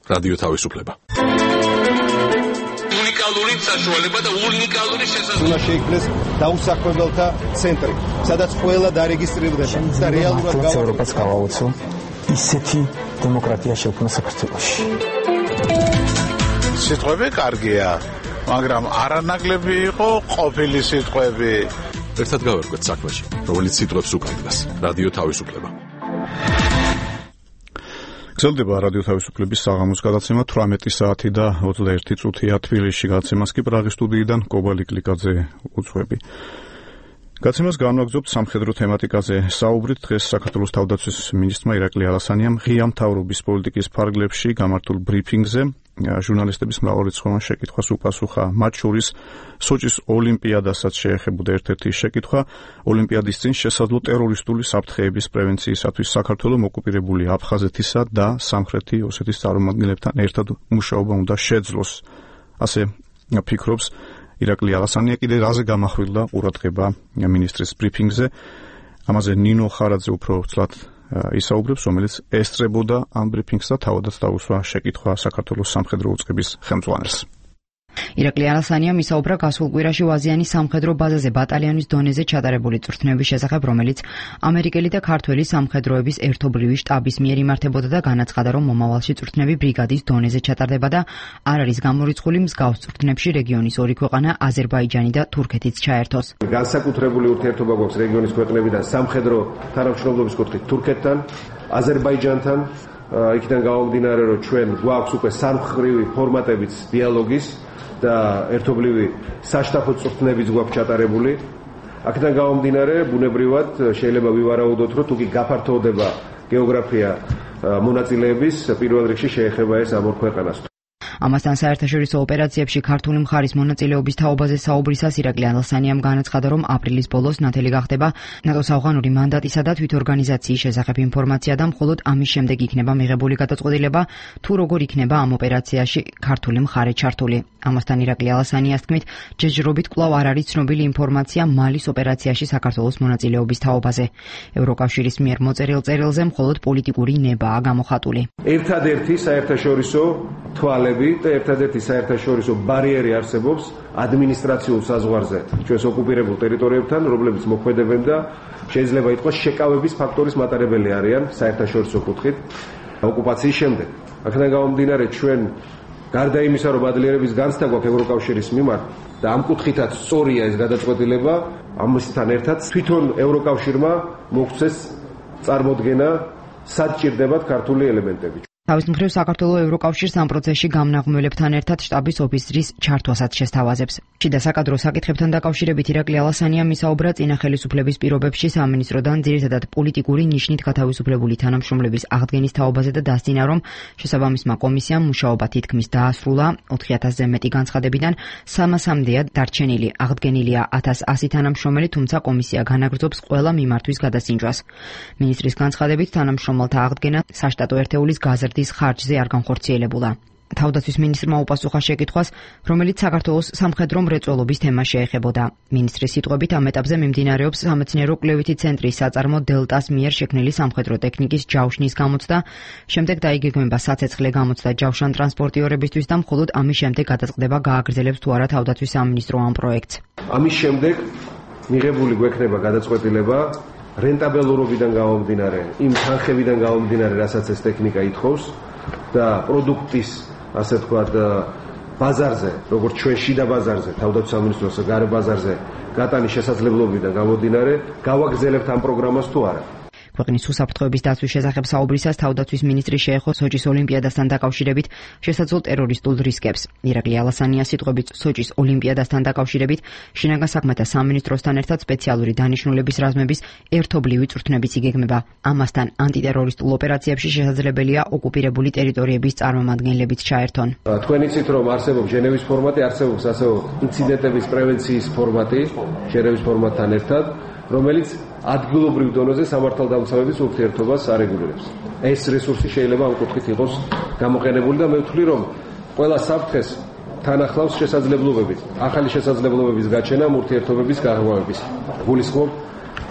[SPEAKER 3] რადიო თავისუფლება.
[SPEAKER 13] უნიკალური საშუალება და უნიკალური შესაძლებლობა.
[SPEAKER 4] უნდა შეიქმნეს დაუსაქმებელთა ცენტრი, სადაც ყველა დარეგისტრირდება და რეალურად
[SPEAKER 14] ევროპას გავაუწო ისეთი დემოკრატია შექმნა საქართველოში.
[SPEAKER 15] სიტყვები კარგია, მაგრამ არანაკლები იყო ყოფილი სიტყვები.
[SPEAKER 3] ერთად გავერკვეთ საქმეში, რომელიც სიტყვებს უკავშირდება. რადიო თავისუფლება.
[SPEAKER 1] გრძელდება რადიო თავისუფლების საღამოს გადაცემა 18 საათი და 21 წუთია თბილისში. გადაცემას კი პრაღის სტუდიიდან კობალი კლიკაძე უძღვები. გადაცემას განვაგრძობთ სამხედრო თემატიკაზე საუბრით. დღეს საქართველოს თავდაცვის მინისტრმა ირაკლი ალასანიამ ღია მთავრობის პოლიტიკის ფარგლებში გამართულ ბრიფინგზე ჟურნალისტების მრავალრიცხოვან შეკითხვას უპასუხა. მათ შორის სოჭის ოლიმპიადასაც შეეხებოდა ერთ-ერთი შეკითხვა. ოლიმპიადის წინ შესაძლო ტერორისტული საფრთხეების პრევენციისათვის საქართველოს ოკუპირებული აფხაზეთისა და სამხრეთი ოსეთის წარმომადგენლებთან ერთად მუშაობა უნდა შეძლოს. ასე ფიქრობს ირაკლი ალასანია. კიდე რაზე გამახვილდა ყურადღება მინისტრის ბრიფინგზე. ამაზე ნინო ხარაძე უფრო ცლად ისაუბრებს, რომელიც ესწრებოდა ამ ბრიფინგს და თავადაც დაუსვა შეკითხვა საქართველოს სამხედრო უწყების ხელმძღვანელს.
[SPEAKER 16] ირაკლი ალასანიამ ისაუბრა გასულ კვირაში ვაზიანის სამხედრო ბაზაზე ბატალიონის დონეზე ჩატარებული წვრთნების შესახებ, რომელიც ამერიკელი და ქართველი სამხედროების ერთობლივი შტაბის მიერ იმართებოდა და განაცხადა, რომ მომავალში წვრთნები ბრიგადის დონეზე ჩატარდება და არ არის გამორიცხული მსგავს წვრთნებში რეგიონის 2 ქვეყანა აზერბაიჯანი და თურქეთიც ჩაერთოს.
[SPEAKER 4] განსაკუთრებული ურთიერთობა გვაქვს რეგიონის ქვეყნებიდან სამხედრო თანამშრომლობის კუთხით თურქეთთან, აზერბაიჯანთან. იქიდან გამომდინარე, რომ ჩვენ გვაქვს უკვე სამხრივი ფორმატებიც დიალოგის და ერთობლივი საშტაბო წვრთნებიც გვაქვს ჩატარებული. აქედან გამომდინარე, ბუნებრივად შეიძლება ვივარაუდოთ, რომ თუკი გაფართოვდება გეოგრაფია მონაწილეების, პირველ რიგში შეეხება ეს ამ 2 ქვეყანას.
[SPEAKER 16] ამასთან საერთაშორისო ოპერაციებში ქართული მხარის მონაწილეობის თაობაზე საუბრისას ირაკლი ალასანიამ განაცხადა, რომ აპრილის ბოლოს ნათელი გახდება ნატოს ავღანური მანდატისა და თვითორგანიზაციის შესახებ ინფორმაცია და მხოლოდ ამის შემდეგ იქნება მიღებული გადაწყვეტილება, თუ როგორ იქნება ამ ოპერაციაში ქართული მხარე ჩართული. ამასთან ირაკლი ალასანიას თქმით, ჯერჯერობით კვლავ არ არის ცნობილი ინფორმაცია მალის ოპერაციაში საქართველოს მონაწილეობის თაობაზე. ევროკავშირის მიერ მოწერილ წერილზე მხოლოდ პოლიტიკური ნებაა გამოხატული.
[SPEAKER 4] ერთადერთი საერთაშორისო თვალები და ერთადერთი საერთაშორისო ბარიერი არსებობს ადმინისტრაციულ საზღვარზე ჩვენს ოკუპირებულ ტერიტორიებთან, რომლებიც მოქმედებენ და შეიძლება ითქვას შეკავების ფაქტორის მატარებელი არიან საერთაშორისო კუთხით ოკუპაციის შემდეგ. აქედან გამომდინარე, ჩვენ გარდა იმისა, რომ ადლიერების განცდა გვაქვს ევროკავშირის მიმართ და ამ კუთხითაც სწორია ეს გადაწყვეტილება, ამისთან ერთად თვითონ ევროკავშირმა მოგვცეს წარმოდგენა სად ჭირდებათ ქართული ელემენტები.
[SPEAKER 16] თავის მხრივ საქართველოს ევროკავშირს ამ პროცესში გამნაღმველებთან ერთად შტაბის ოფისრის ჩართვასაც შესთავაზებს. შიდა საკადრო საკითხებთან დაკავშირებით ირაკლი ალასანიამ ისაუბრა წინა ხელისუფლების პირობებში სამინისტროდან ძირითადად პოლიტიკური ნიშნით გათავისუფლებული თანამშრომლების აღდგენის თაობაზე და დასძინა, რომ შესაბამისმა კომისიამ მუშაობა თითქმის დაასრულა 4000-ზე მეტი განცხადებიდან 300-მდეა დარჩენილი. აღდგენილია 1100 თანამშრომელი, თუმცა კომისია განაგრძობს ყველა მიმართვის გადასინჯვას. მინისტრის განცხადებით თანამშრომელთა აღდგენა საშტატო ერთეულის გაზრდის ხარჯზე არ განხორციელებულა. თავდაცვის მინისტრმა უპასუხა შეკითხვას, რომელიც საქართველოს სამხედრო მრეწველობის თემას შეეხებოდა. მინისტრის სიტყვებით ამ ეტაპზე მიმდინარეობს სამეცნიერო-კვლევითი ცენტრის საწარმო დელტას მიერ შექმნილი სამხედრო ტექნიკის ჯავშნის გამოცდა, შემდეგ დაიგეგმება საცეცხლე გამოცდა ჯავშან ტრანსპორტიორებისთვის და მხოლოდ ამის შემდეგ გადაწყდება გააგრძელებს თუ არა თავდაცვის სამინისტრო ამ პროექტს.
[SPEAKER 4] ამის შემდეგ მიღებული გვექნება გადაწყვეტილება რენტაბელურობიდან გამომდინარე, იმ თანხებიდან გამომდინარე, რასაც ეს ტექნიკა ითხოვს და პროდუქტის, ასე ვთქვათ, ბაზარზე, როგორც ჩვენ შიდა ბაზარზე, თავდაცვის სამინისტროს გარე ბაზარზე გატანის შესაძლებლობიდან გამომდინარე, გავაგრძელებთ ამ პროგრამას თუ არა.
[SPEAKER 16] ქვეყნის უსაფრთხოების დაცვის შესახებ საუბრისას თავდაცვის მინისტრი შეეხო სოჭის ოლიმპიადასთან დაკავშირებით შესაძლო ტერორისტულ რისკებს. ირაკლი ალასანია სიტყვებით სოჭის ოლიმპიადასთან დაკავშირებით შინაგან საქმეთა სამინისტროსთან ერთად სპეციალური დანიშნულების რაზმების ერთობლივი წვრთნებიც იგეგმება. ამასთან ანტიტერორისტულ ოპერაციებში შესაძლებელია ოკუპირებული ტერიტორიების წარმომადგენლებიც ჩაერთონ.
[SPEAKER 4] თქვენ იცით რომ არსებობს ჟენევის ფორმატი, არსებობს ასევე ინციდენტების პრევენციის ფორმატი ჟენევის ფორმატთან ერთად, რომელიც ადგილობრივ დონეზე სამართალდამცავების ურთიერთობას არეგულირებს. ეს რესურსი შეიძლება ამ კუთხით იყოს გამოყენებული და მე ვთვლი რომ ყველა საფრთხეს თან ახლავს შესაძლებლობები, ახალი შესაძლებლობების გაჩენა ურთიერთობების გაღვივების. გულისხმობ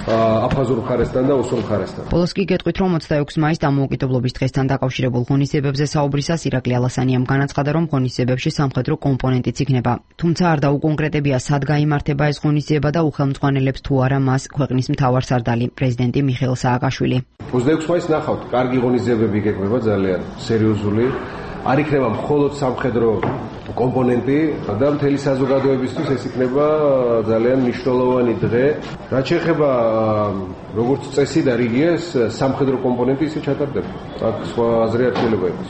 [SPEAKER 4] აფხაზურ მხარესთან და ოსურ მხარესთან.
[SPEAKER 16] ბოლოს კი გეტყვით რომ 26 მაისს დამოუკიდებლობის დღესთან დაკავშირებულ ღონისძიებებზე საუბრისას ირაკლი ალასანიამ განაცხადა რომ ღონისძიებებში სამხედრო კომპონენტიც იქნება. თუმცა არ დაუკონკრეტებია სად გაიმართება ეს ღონისძიება და უხელმძღვანელებს თუ არა მას ქვეყნის მთავარსარდალი პრეზიდენტი მიხეილ სააკაშვილი.
[SPEAKER 4] 26 მაისს ნახავთ, კარგი ღონისძიებები იგეგმება ძალიან სერიოზული. არ იქნება მხოლოდ სამხედრო კომპონენტი და მთელი საზოგადოებისთვის ეს იქნება ძალიან მნიშვნელოვანი დღე. რაც შეეხება როგორც წესი და რიგია, სამხედრო კომპონენტი ისე ჩატარდება. აქ სხვა აზრი არ შეიძლება იყოს.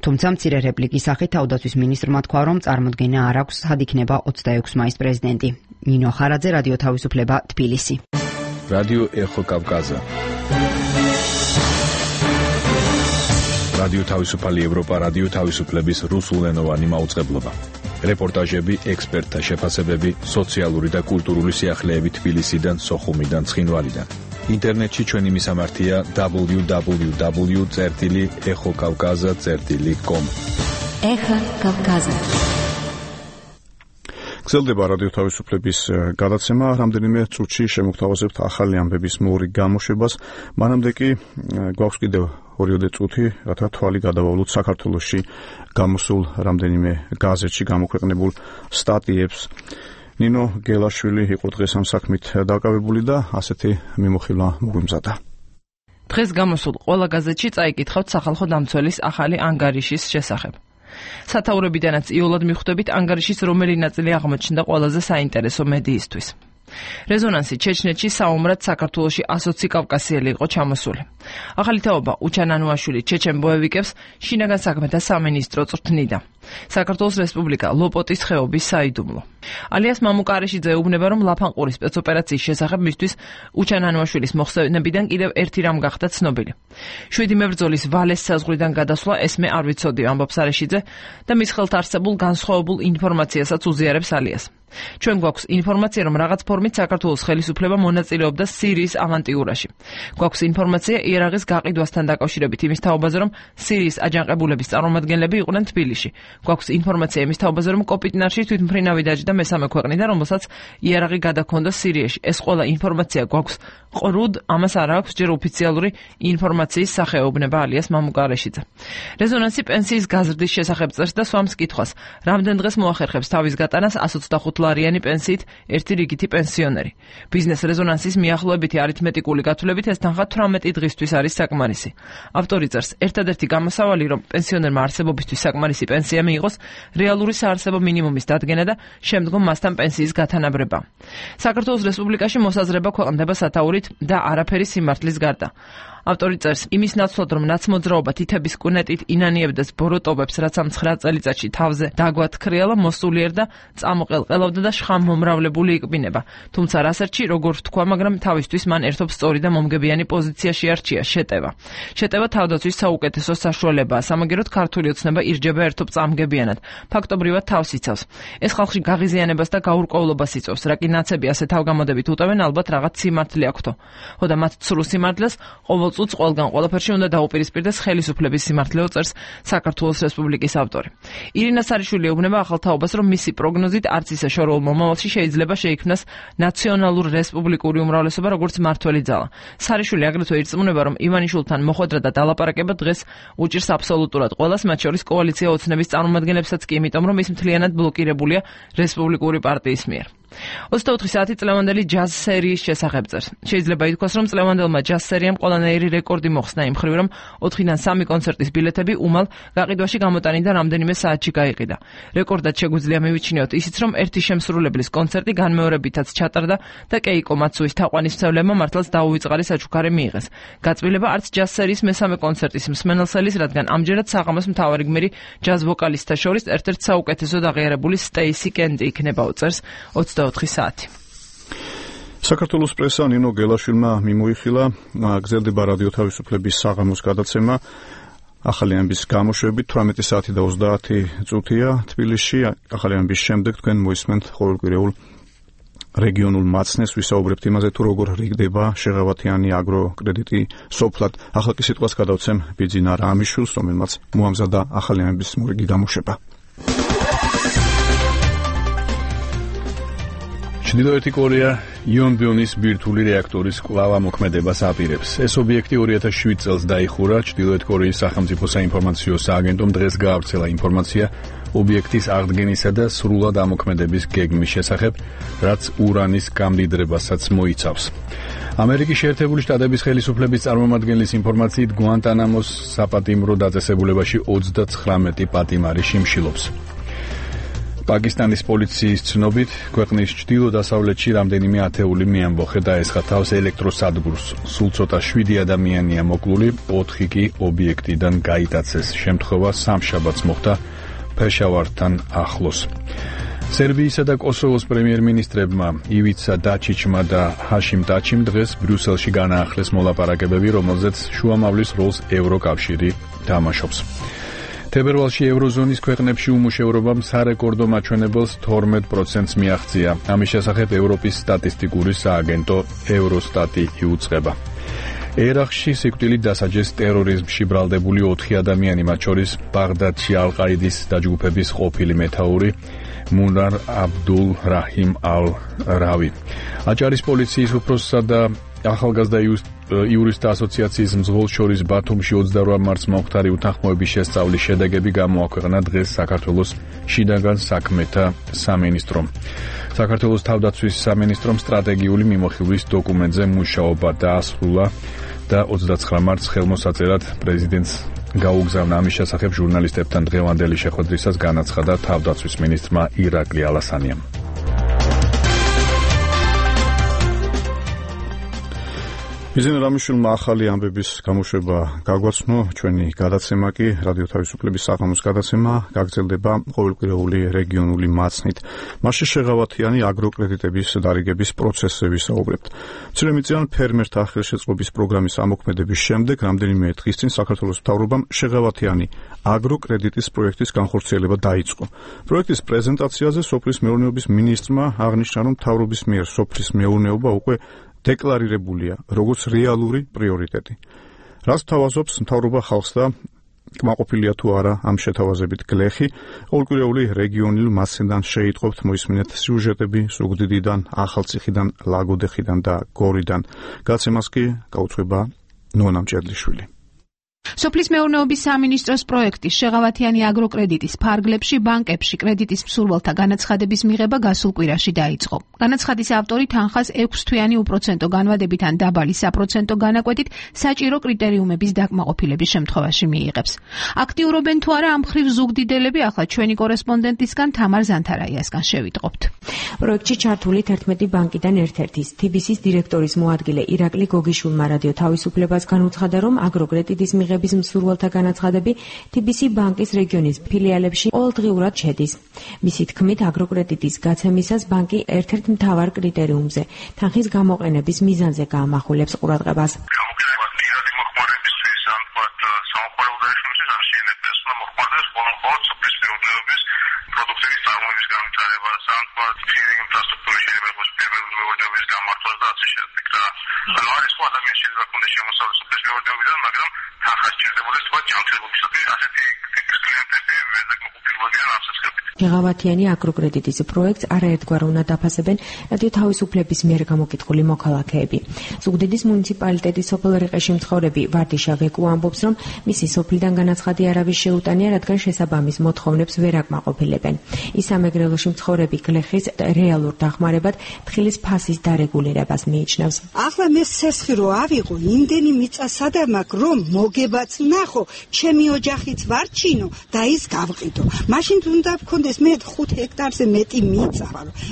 [SPEAKER 16] თუმცა მცირე რეპლიკის სახით თავდაცვის მინისტრმა თქვა, რომ წარმოდგენა არ აქვს, სად იქნება 26 მაისს პრეზიდენტი. ნინო ხარაძე, რადიო თავისუფლება, თბილისი.
[SPEAKER 2] რადიო ეხო კავკაზა. რადიო თავისუფალი ევროპა, რადიო თავისუფლების რუსულენოვანი მაუწყებლობა. რეპორტაჟები, ექსპერტთა შეფასებები, სოციალური და კულტურული სიახლეები თბილისიდან, სოხუმიდან, ცხინვალიდან. ინტერნეტში ჩვენი მისამართია www.exokavkaza.com.
[SPEAKER 7] ეხა კავკაზა.
[SPEAKER 1] გრძელდება რადიო თავისუფლების გადაცემა, რამდენიმე წუთში შემოგთავაზებთ ახალი ამბების მოური გამოშვებას. მანამდე კი გვაქვს კიდევ 2 წუთი, რათა თვალი გადავავლოთ საქართველოში გამოსულ რამდენიმე გაზეთში გამოქვეყნებულ სტატიებს. ნინო გელაშვილი იყო დღეს ამ საქმით დაკავებული და ასეთი მიმოხილვა მოგვიმზადა.
[SPEAKER 17] დღეს გამოსულ ყველა გაზეთში წაიკითხავთ სახალხო დამცველის ახალი ანგარიშის შესახებ. სათაურებიდანაც იოლად მიხვდებით ანგარიშის რომელი ნაწილი აღმოჩნდა ყველაზე საინტერესო მედიისთვის. რეზონანსი ჩეჩნეთში საომრად საქართველოში 120 კავკასიელი იყო ჩამოსული. ახალი თაობა უჩან ანუაშვილი ჩეჩენ ბოევიკებს შინაგან საქმეთა სამინისტრო წვრთნიდა. საქართველოს რესპუბლიკა ლოპოტის ხეობის საიდუმლო. ალიას მამუკარეშიძე ეუბნება, რომ ლაფანყურის სპეცოპერაციის შესახებ მისთვის უჩან ანუაშვილის მოხსენებიდან კიდევ ერთი რამ გახდა ცნობილი. 7 მებრძოლის ვალეს საზღვრიდან გადასვლა ესმე არ ვიცოდი, ამბობს არეშიძე და მის ხელთ არსებულ განსხვავებულ ინფორმაციასაც უზიარებს ალიას. ჩვენ გვაქვს ინფორმაცია, რომ რაღაც ფორმით საქართველოს ხელისუფლება მონაწილეობდა სირიის ავანტიურაში. გვაქვს ინფორმაცია იერაღის გაყიდვასთან დაკავშირებით იმის თაობაზე, რომ სირიის აჯანყებულების წარმომადგენლები იყვნენ თბილისში. გვაქვს ინფორმაცია იმის თაობაზე, რომ კოპიტნარში თვითმფრინავი დაჯდა მესამე ქვეყნიდან, რომელსაც იერაღი გადაქონდა სირიაში. ეს ყველა ინფორმაცია გვაქვს ყრუდ, ამას არ აქვს ჯერ ოფიციალური ინფორმაციის სახეობნება ალიას მამუკარეშიძე. რეზონანსი პენსიის გაზრდის შესახებ წერს და სვამს კითხვას, რამდენ დღეს მოახერხებს თავის გატანას 125 ლარიანი პენსიით ერთი რიგითი პენსიონერი. ბიზნეს რეზონანსის მიახლოებითი არითმეტიკული გათვლებით ეს თანხა 18 დღისთვის არის საკმარისი. ავტორი წერს, ერთადერთი გამოსავალი, რომ პენსიონერმა არსებობისთვის საკმარისი პენსია მიიღოს, რეალური საარსებო მინიმუმის დადგენა და შემდგომ მასთან პენსიის გათანაბრება. საქართველოს რესპუბლიკაში მოსაზრება ქვეყნდება სათაურით და არაფერი სიმართლის გარდა. ავტორი წერს, იმის ნაცვლად, რომ ნაცმოძრაობა თითების კუნეტით ინანიებდეს ბოროტობებს, რაც ამ 9 წელიწადში თავზე დაგვათქრიალა, მოსულიერ და წამოყელყელავდა და შხამმომრავლებული იყბინება. თუმცა რასერჩი, როგორ ვთქვა, მაგრამ თავისთვის მან ერთობ სწორი და მომგებიანი პოზიციაში არჩია შეტევა. შეტევა თავდაცვის საუკეთესო საშუალებაა, სამაგეროდ ქართული ოცნება ირჯება ერთობ წამგებიანად. ფაქტობრივად თავს იცავს. ეს ხალხში გაღიზიანებას და გაურკვევლობას იწვევს, რა კი ნაცები ასე თავგამოდებით უტევენ, ალბათ რაღაც სიმართლე აქვთო. ხოდა მათ ცრუ სიმართლეს ყოველ წუთს ყველგან ყველაფერში უნდა დაუპირისპირდეს ხელისუფლების სიმართლეო, წერს საქართველოს რესპუბლიკის ავტორი. ირინა სარიშვილი ეუბნება ახალ თაობას, რომ მისი პროგნოზით არც ისე შორეულ მომავალში შეიძლება შეიქმნას ნაციონალურ რესპუბლიკური უმრავლესობა, როგორც მართველი ძალა. სარიშვილი აგრეთვე ირწმუნება, რომ ივანიშვილთან მოხვედრა და დალაპარაკება დღეს უჭირს აბსოლუტურად ყველას, მათ შორის კოალიცია ოცნების წარმომადგენლებსაც კი, იმიტომ რომ ის მთლიანად ბლოკირებულია რესპუბლიკური პარტიის მიერ. 24 საათი წლევანდელი ჯაზ სერიის შესახებ წერს. შეიძლება ითქვას, რომ წლევანდელმა ჯაზ სერიამ ყველანაირი რეკორდი მოხსნა იმ მხრივ, რომ 4-დან 3 კონცერტის ბილეთები უმალ გაყიდვაში გამოტანიდან რამდენიმე საათში გაიყიდა. რეკორდად შეგვიძლია მივიჩნიოთ ისიც, რომ ერთი შემსრულებლის კონცერტი განმეორებითაც ჩატარდა და კეიკო მაცუის თაყვანისმცემლებმა მართლაც დაუვიწყარი საჩუქარი მიიღეს. გაწყვილება არც ჯაზ სერიის მესამე კონცერტის მსმენელს ელის, რადგან ამჯერად საღამოს მთავარი გმირი ჯაზ ვოკალისტთა შორის ერთ-ერთ საუკეთესოდ აღიარებული სტეისი კენდი იქნება, წერს 24 საათი.
[SPEAKER 1] საქართველოს პრესა ნინო გელაშვილმა მიმოიხილა, გრძელდება რადიო თავისუფლების საღამოს გადაცემა. ახალი ამბის გამოშვებით 18 საათი და 30 წუთია თბილისში. ახალი ამბის შემდეგ თქვენ მოისმენთ ყოველკვირეულ რეგიონულ მაცნეს, ვისაუბრებთ იმაზე, თუ როგორ რიგდება შეღავათიანი აგროკრედიტი სოფლად. ახლა კი სიტყვას გადავცემ ბიძინა რამიშვილს, რომელმაც მოამზადა ახალი ამბის მორიგი გამოშვება.
[SPEAKER 2] ჩრდილოეთი კორეა იონბიონის ბირთვული რეაქტორის კვლავ ამოქმედებას აპირებს. ეს ობიექტი 2007 წელს დაიხურა. ჩრდილოეთ კორეის სახელმწიფო საინფორმაციო სააგენტომ დღეს გაავრცელა ინფორმაცია ობიექტის აღდგენისა და სრულად ამოქმედების გეგმის შესახებ, რაც ურანის გამდიდრებასაც მოიცავს. ამერიკის შეერთებული შტატების ხელისუფლების წარმომადგენლის ინფორმაციით, გვანტანამოს საპატიმრო დაწესებულებაში 39 პატიმარი შიმშილობს. პაკისტანის პოლიციის ცნობით, ქვეყნის ჩრდილო-დასავლეთში რამდენიმე ათეული მეამბოხე დაესხა თავს ელექტროსადგურს. სულ ცოტა 7 ადამიანია მოკლული, 4 კი ობიექტიდან გაიტაცეს. შემთხვევა სამშაბათს მოხდა პეშავართან ახლოს. სერბიისა და კოსოვოს პრემიერ-მინისტრებმა ივიცა დაჩიჩმა და ჰაშიმ ტაჩიმ დღეს ბრიუსელში განაახლეს მოლაპარაკებები, რომელზეც შუამავლის როლს ევროკავშირი თამაშობს. თებერვალში ევროზონის ქვეყნებში უმუშევრობამ სარეკორდო მაჩვენებელს 12%-ს მიაღწია. ამის შესახებ ევროპის სტატისტიკური სააგენტო ევროსტატი იუწყება. ერაყში სიკვდილით დასაჯეს ტერორიზმში ბრალდებული 4 ადამიანი, მათ შორის ბაღდადში ალ-ყაიდის დაჯგუფების ყოფილი მეთაური მუნარ აბდულ რაჰიმ ალ-რავი. აჭარის პოლიციის უფროსსა და ახალგაზრდა იურისტთა ასოციაციის მძღოლს შორის ბათუმში 28 მარტს მომხდარი უთანხმოების შესწავლის შედეგები გამოაქვეყნა დღეს საქართველოს შინაგან საქმეთა სამინისტრომ. საქართველოს თავდაცვის სამინისტრომ სტრატეგიული მიმოხილვის დოკუმენტზე მუშაობა დაასრულა და 29 მარტს ხელმოსაწერად პრეზიდენტს გაუგზავნა. ამის შესახებ ჟურნალისტებთან დღევანდელი შეხვედრისას განაცხადა თავდაცვის მინისტრმა ირაკლი ალასანიამ.
[SPEAKER 1] ბიძინა რამიშვილმა ახალი ამბების გამოშვება გაგვაცნო. ჩვენი გადაცემა კი რადიო თავისუფლების საღამოს გადაცემა გაგრძელდება ყოველკვირეული რეგიონული მაცნით. მასში შეღავათიანი აგროკრედიტების დარიგების პროცესზე ვისაუბრებთ. მცირემიწიან ფერმერთა ხელშეწყობის პროგრამის ამოქმედების შემდეგ რამდენიმე დღის წინ საქართველოს მთავრობამ შეღავათიანი აგროკრედიტის პროექტის განხორციელება დაიწყო. პროექტის პრეზენტაციაზე სოფლის მეურნეობის მინისტრმა აღნიშნა, რომ მთავრობის მიერ სოფლის მეურნეობა უკვე დეკლარირებულია როგორც რეალური პრიორიტეტი. რაც თავაზობს მთავრობა ხალხს და კმაყოფილია თუ არა ამ შეთავაზებით გლეხი, ყოველკვირეული რეგიონული მასიდან შეიტყობთ მოისმინეთ სიუჟეტები ზუგდიდიდან, ახალციხიდან, ლაგოდეხიდან და გორიდან. გაცემას კი გაუწვება ნონა მჭედლიშვილი.
[SPEAKER 18] სოფლის მეურნეობის სამინისტროს პროექტის შეღავათიანი აგროკრედიტის ფარგლებში ბანკებში კრედიტის მსურველთა განაცხადების მიღება გასულ კვირაში დაიწყო. განაცხადის ავტორი თანხას 6 თვიანი უპროცენტო განვადებით ან დაბალი საპროცენტო განაკვეთით საჭირო კრიტერიუმების დაკმაყოფილების შემთხვევაში მიიღებს. აქტიურობენ თუ არა ამ მხრივ ზუგდიდელები, ახლა ჩვენი კორესპონდენტისგან თამარ ზანთარაიასგან შევიტყობთ.
[SPEAKER 19] პროექტში ჩართული 11 ბანკიდან ერთ-ერთის TBC-ის დირექტორის მოადგილე ირაკლი გოგიშვილმა რადიო თავისუფლებას განუცხადა, რომ აგროკრედიტის მიღების მსურველთა განაცხადები TBC ბანკის რეგიონის ფილიალებში ყოველდღიურად შედის. მისი თქმით, აგროკრედიტის გაცემისას ბანკი ერთ-ერთ მთავარ კრიტერიუმზე, თანხის გამოყენების მიზანზე გაამახვილებს ყურადღებას. შეღავათიანი აგროკრედიტის პროექტს არაერთგვარ უნდა დაფასებენ რადიო თავისუფლების მიერ გამოკითხული მოქალაქეები. ზუგდიდის მუნიციპალიტეტის სოფელ რიყეში მცხოვრები ვარდიშა ვეკუ ამბობს, რომ მისი სოფლიდან განაცხადი არავის შეუტანია, რადგან შესაბამის მოთხოვნებს ვერ აკმაყოფილებენ. ის სამეგრელოში მცხოვრები გლეხის რეალურ დახმარებად თხილის ფასის დარეგულირებას მიიჩნევს.
[SPEAKER 20] ახლა მე სესხი რო ავიღო, იმდენი მიწა სადამ აქვს, რომ მოგებაც ნახო, ჩემი ოჯახიც ვარჩინო და ის გავყიდო. მაშინ უნდა ვქონდეს მე 5 ჰექტარზე მეტი მიწა.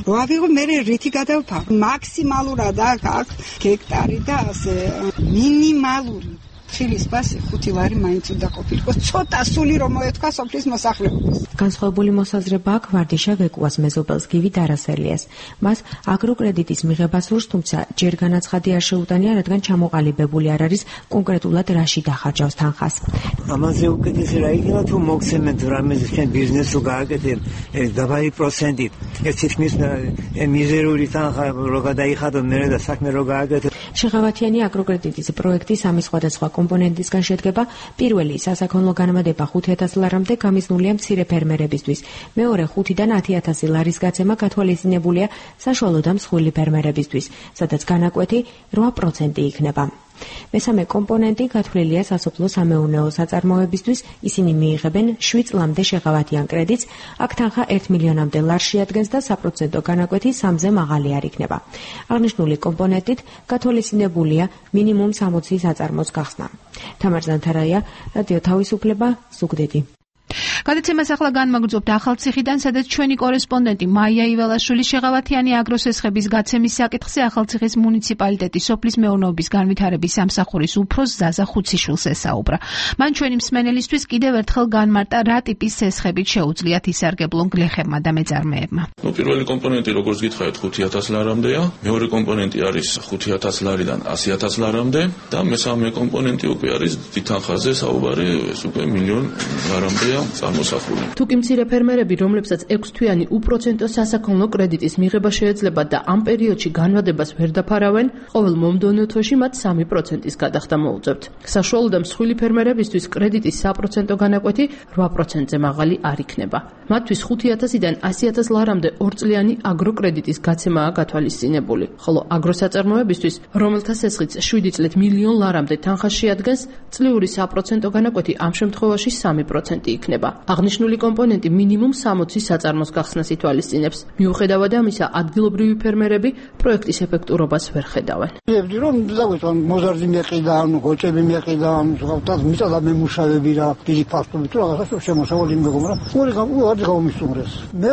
[SPEAKER 20] რო ავიღო, მე რითი გადავფარო. მაქსიმალურად აქვს ჰექტარი და ასე მინიმალური თხილის ფასი 5 ლარი მაინც უნდა ყოფილიყო. ცოტა სული რომ მოეთქვა სოფლის მოსახლეობას.
[SPEAKER 19] განსხვავებული მოსაზრება აქვს ვარდიშა ვეკუას მეზობელს გივი დარასელიას. მას აგროკრედიტის მიღება სურს, თუმცა ჯერ განაცხადი არ შეუტანია, რადგან ჩამოყალიბებული არ არის კონკრეტულად რაში დახარჯავს თანხას.
[SPEAKER 21] ამაზე უკეთესი რა იქნება თუ მოგცემენ რამეზე ჩვენ ბიზნესს გააკეთებ დაბალი პროცენტით. ეს თითქმის მიზერული თანხა რო გადაიხადოთ მე და საქმე რო გააკეთებ.
[SPEAKER 19] შეღავათიანი აგროკრედიტის პროექტი სამი სხვადასხვა კომპონენტისგან შედგება. პირველი სასაქონლო განმადება 5,000 ლარამდე გამიზნულია მცირე ფერმერებისთვის. მეორე 5-დან 10,000 ლარის გაცემა გათვალისწინებულია საშუალო და მსხვილი ფერმერებისთვის, სადაც განაკვეთი 8% იქნება. მესამე კომპონენტი გათვლილია სასოფლო სამეურნეო საწარმოებისთვის. ისინი მიიღებენ 7 წლამდე შეღავათიან კრედიტს. აქ თანხა 1 მილიონამდე ლარს შეადგენს და საპროცენტო განაკვეთი 3-ზე მაღალი არ იქნება. აღნიშნული კომპონენტით გათვალისწინებულია მინიმუმ 60 საწარმოს გახსნა. თამარ ზანთარაია, რადიო თავისუფლება, ზუგდიდი.
[SPEAKER 18] გადაცემას ახლა განმაგრძობთ ახალციხიდან, სადაც ჩვენი კორესპონდენტი მაია იველაშვილი შეღავათიანი აგროსესხების გაცემის საკითხზე ახალციხის მუნიციპალიტეტის სოფლის მეურნეობის განვითარების სამსახურის უფროს ზაზა ხუციშვილს ესაუბრა. მან ჩვენი მსმენელისთვის კიდევ ერთხელ განმარტა, რა ტიპის სესხებით შეუძლიათ ისარგებლონ გლეხებმა და მეწარმეებმა.
[SPEAKER 22] პირველი კომპონენტი, როგორც გითხარით, 5,000 ლარამდეა, მეორე კომპონენტი არის 5,000 ლარიდან 100,000 ლარამდე და მესამე კომპონენტი უკვე არის თითანხაზე საუბარი, ეს უკვე 1 მილიონ ლარამდეა.
[SPEAKER 17] თუ კი მცირე ფერმერები, რომლებსაც 6 თვიანი უპროცენტო სასაქონლო კრედიტის მიღება შეეძლება და ამ პერიოდში განვადებას ვერ დაფარავენ, ყოველ მომდევნო თვეში მათ 3%-ის გადახდა მოუწევთ. საშუალო და მსხვილი ფერმერებისთვის კრედიტის საპროცენტო განაკვეთი 8%-ზე მაღალი არ იქნება. მათთვის 5,000-დან 100,000 ლარამდე 2 წლიანი აგროკრედიტის გაცემაა გათვალისწინებული, ხოლო აგროსაწარმოებისთვის, რომელთა სესხიც 7 წლით 1 მილიონ ლარამდე თანხას შეადგენს, წლიური საპროცენტო განაკვეთი ამ შემთხვევაში 3% იქნება. აღნიშნული კომპონენტი მინიმუმ 60 საწარმოს გახსნას ითვალისწინებს. მიუხედავად ამისა, ადგილობრივი ფერმერები პროექტის ეფექტურობას ვერ ხედავენ.
[SPEAKER 23] ვიებდი რომ დავეთვალ მოზარდი მეყიდა, გოჭები მეყიდა, ზოგადად მიწა მემუშავები რა, დიდი ფაქტობი თუ რაღაცა შემოსავალი მეგობრა. ორი გამომისუმრეს. მე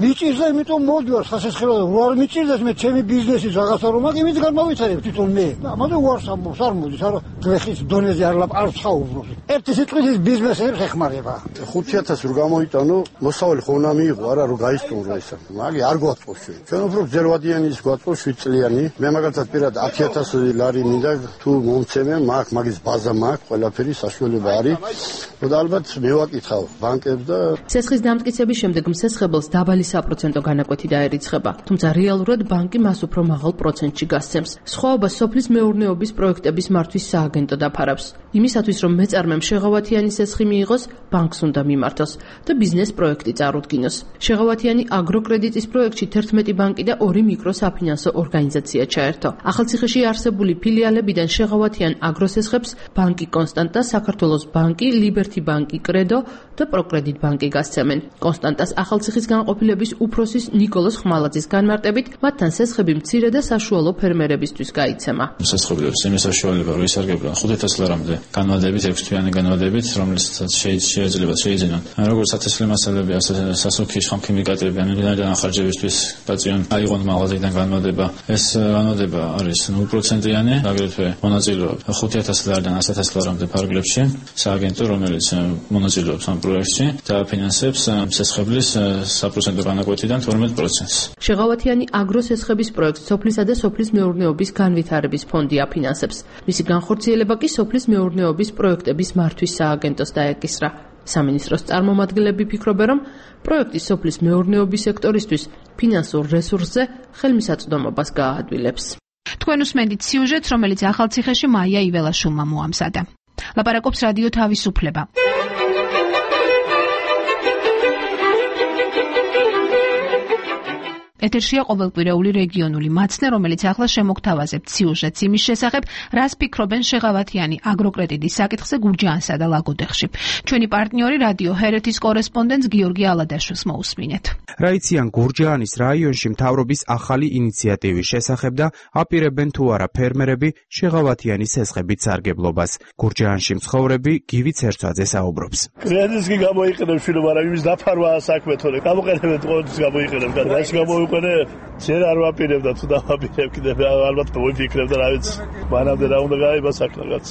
[SPEAKER 23] მიწირდა, იმიტომ მოდივარ სასესხელო, უარ მიწირდეს მე ჩემი ბიზნესი რაღაცა რომ მაგ იმით გამოვიცარებ თვითონ მე. ამაზე უარს ამბობს, არ მოდის, არა გლეხის დონეზე არ ვსაუბრობ. ერთი სიტყვის ბიზნესებს ეხმარება.
[SPEAKER 24] 5,000 რო გამოიტანო, მოსავალი ხო უნდა მიიღო, არა რომ გაისტუმრო ისა. მაგი არ გვაწყობს ჩვენ. ჩვენ უფრო ძერვადიანი ის გვაწყობს 7 წლიანი. მე მაგალითად პირად 10,000 ლარი მინდა თუ მომცემე, მაგის ბაზა მაქვს, ყველაფერი საშუალება არის. და ალბათ მევაკითხავ ბანკებს და
[SPEAKER 17] სესხის დამტკიცების შემდეგ მსესხებელს დაბალი საპროცენტო განაკვეთი დაერიცხება, თუმცა რეალურად ბანკი მას უფრო მაღალ პროცენტში გასცემს. სხვაობა სოფლის მეურნეობის პროექტების მართვის სააგენტო დაფარავს. იმისათვის რომ მეწარმემ შეღავათიანი სესხი მიიღოს, ბანკს უნდა მიმართოს და ბიზნეს პროექტი წარუდგინოს. შეღავათიანი აგროკრედიტის პროექტში 11 ბანკი და 2 მიკროსაფინანსო ორგანიზაცია ჩაერთო. ახალციხეში არსებული ფილიალებიდან შეღავათიან აგროსესხებს ბანკი კონსტანტა, საქართველოს ბანკი, ლიბერთი ბანკი, კრედო და პროკრედიტ ბანკი გასცემენ. კონსტანტას ახალციხის განყოფილების უფროსის ნიკოლოზ ხმალაძის განმარტებით, მათთან სესხები მცირე და საშუალო ფერმერებისთვის გაიცემა.
[SPEAKER 25] სესხებებს იმის საშუალება რომ ისარგებლონ 5,000 ლარამდე განმადებით, 6 თვიანი განმადებით, რომელსაც შეიძლება შეიძინონ. როგორც სათესლე მასალები, სასუქი შხამქიმიკატები, ანალიზიდან ახარჯებისთვის დაწიონ აიღონ მაღაზიიდან განმადება. ეს განმადება არის 0%-იანი, აგრეთვე მონაწილეობს 5,000 ლარიდან 100,000 ლარამდე ფარგლებში. სააგენტო, რომელიც მონაწილეობს ამ პროექტში და ფინანსებს სესხებლის საპროცენტო განაკვეთიდან 12%-ს.
[SPEAKER 17] შეღავათიანი აგროსესხების პროექტს სოფლისა და სოფლის მეურნეობის განვითარების ფონდი აფინანსებს. მისი განხორციელება კი სოფლის მეურნეობის პროექტების მართვის სააგენტოს დაეკისრა. სამინისტროს წარმომადგენლები ფიქრობენ, რომ პროექტი სოფლის მეურნეობის სექტორისთვის ფინანსურ რესურსზე ხელმისაწვდომობას გააადვილებს.
[SPEAKER 18] თქვენ უსმენთ სიუჟეტს, რომელიც ახალციხეში მაია იველაშვილმა მოამზადა. ლაპარაკობს რადიო თავისუფლება. ეთერშია ყოველკვირეული რეგიონული მაცნე, რომელიც ახლა შემოგთავაზებთ სიუჟეტს იმის შესახებ, რას ფიქრობენ შეღავათიანი აგროკრედიტის საკითხზე გურჯაანსა და ლაგოდეხში. ჩვენი პარტნიორი რადიო ჰერეთის კორესპონდენტს გიორგი ალადაშვილს მოусმინეთ.
[SPEAKER 6] რა იციან გურჯაანის რაიონში მთავრობის ახალი ინიციატივის შესახებ და აპირებენ თუ არა ფერმერები შეღავათიანი სესხებით სარგებლობას. გურჯაანში მცხოვრები გივი ცერცაძე საუბრობს.
[SPEAKER 8] კრედიტს კი გამოიყენებ შვილო, მაგრამ იმის დაფარვაა საქმე თორე. გამოყენებთ ყოველთვის გამოიყენებ, რაც გამოიყენე, ჯერ არ ვაპირებ და თუ დავაპირებ კიდევ ალბათ მოვიფიქრებ და რა ვიცი, მანამდე რა უნდა გაიება საქმე რაღაც.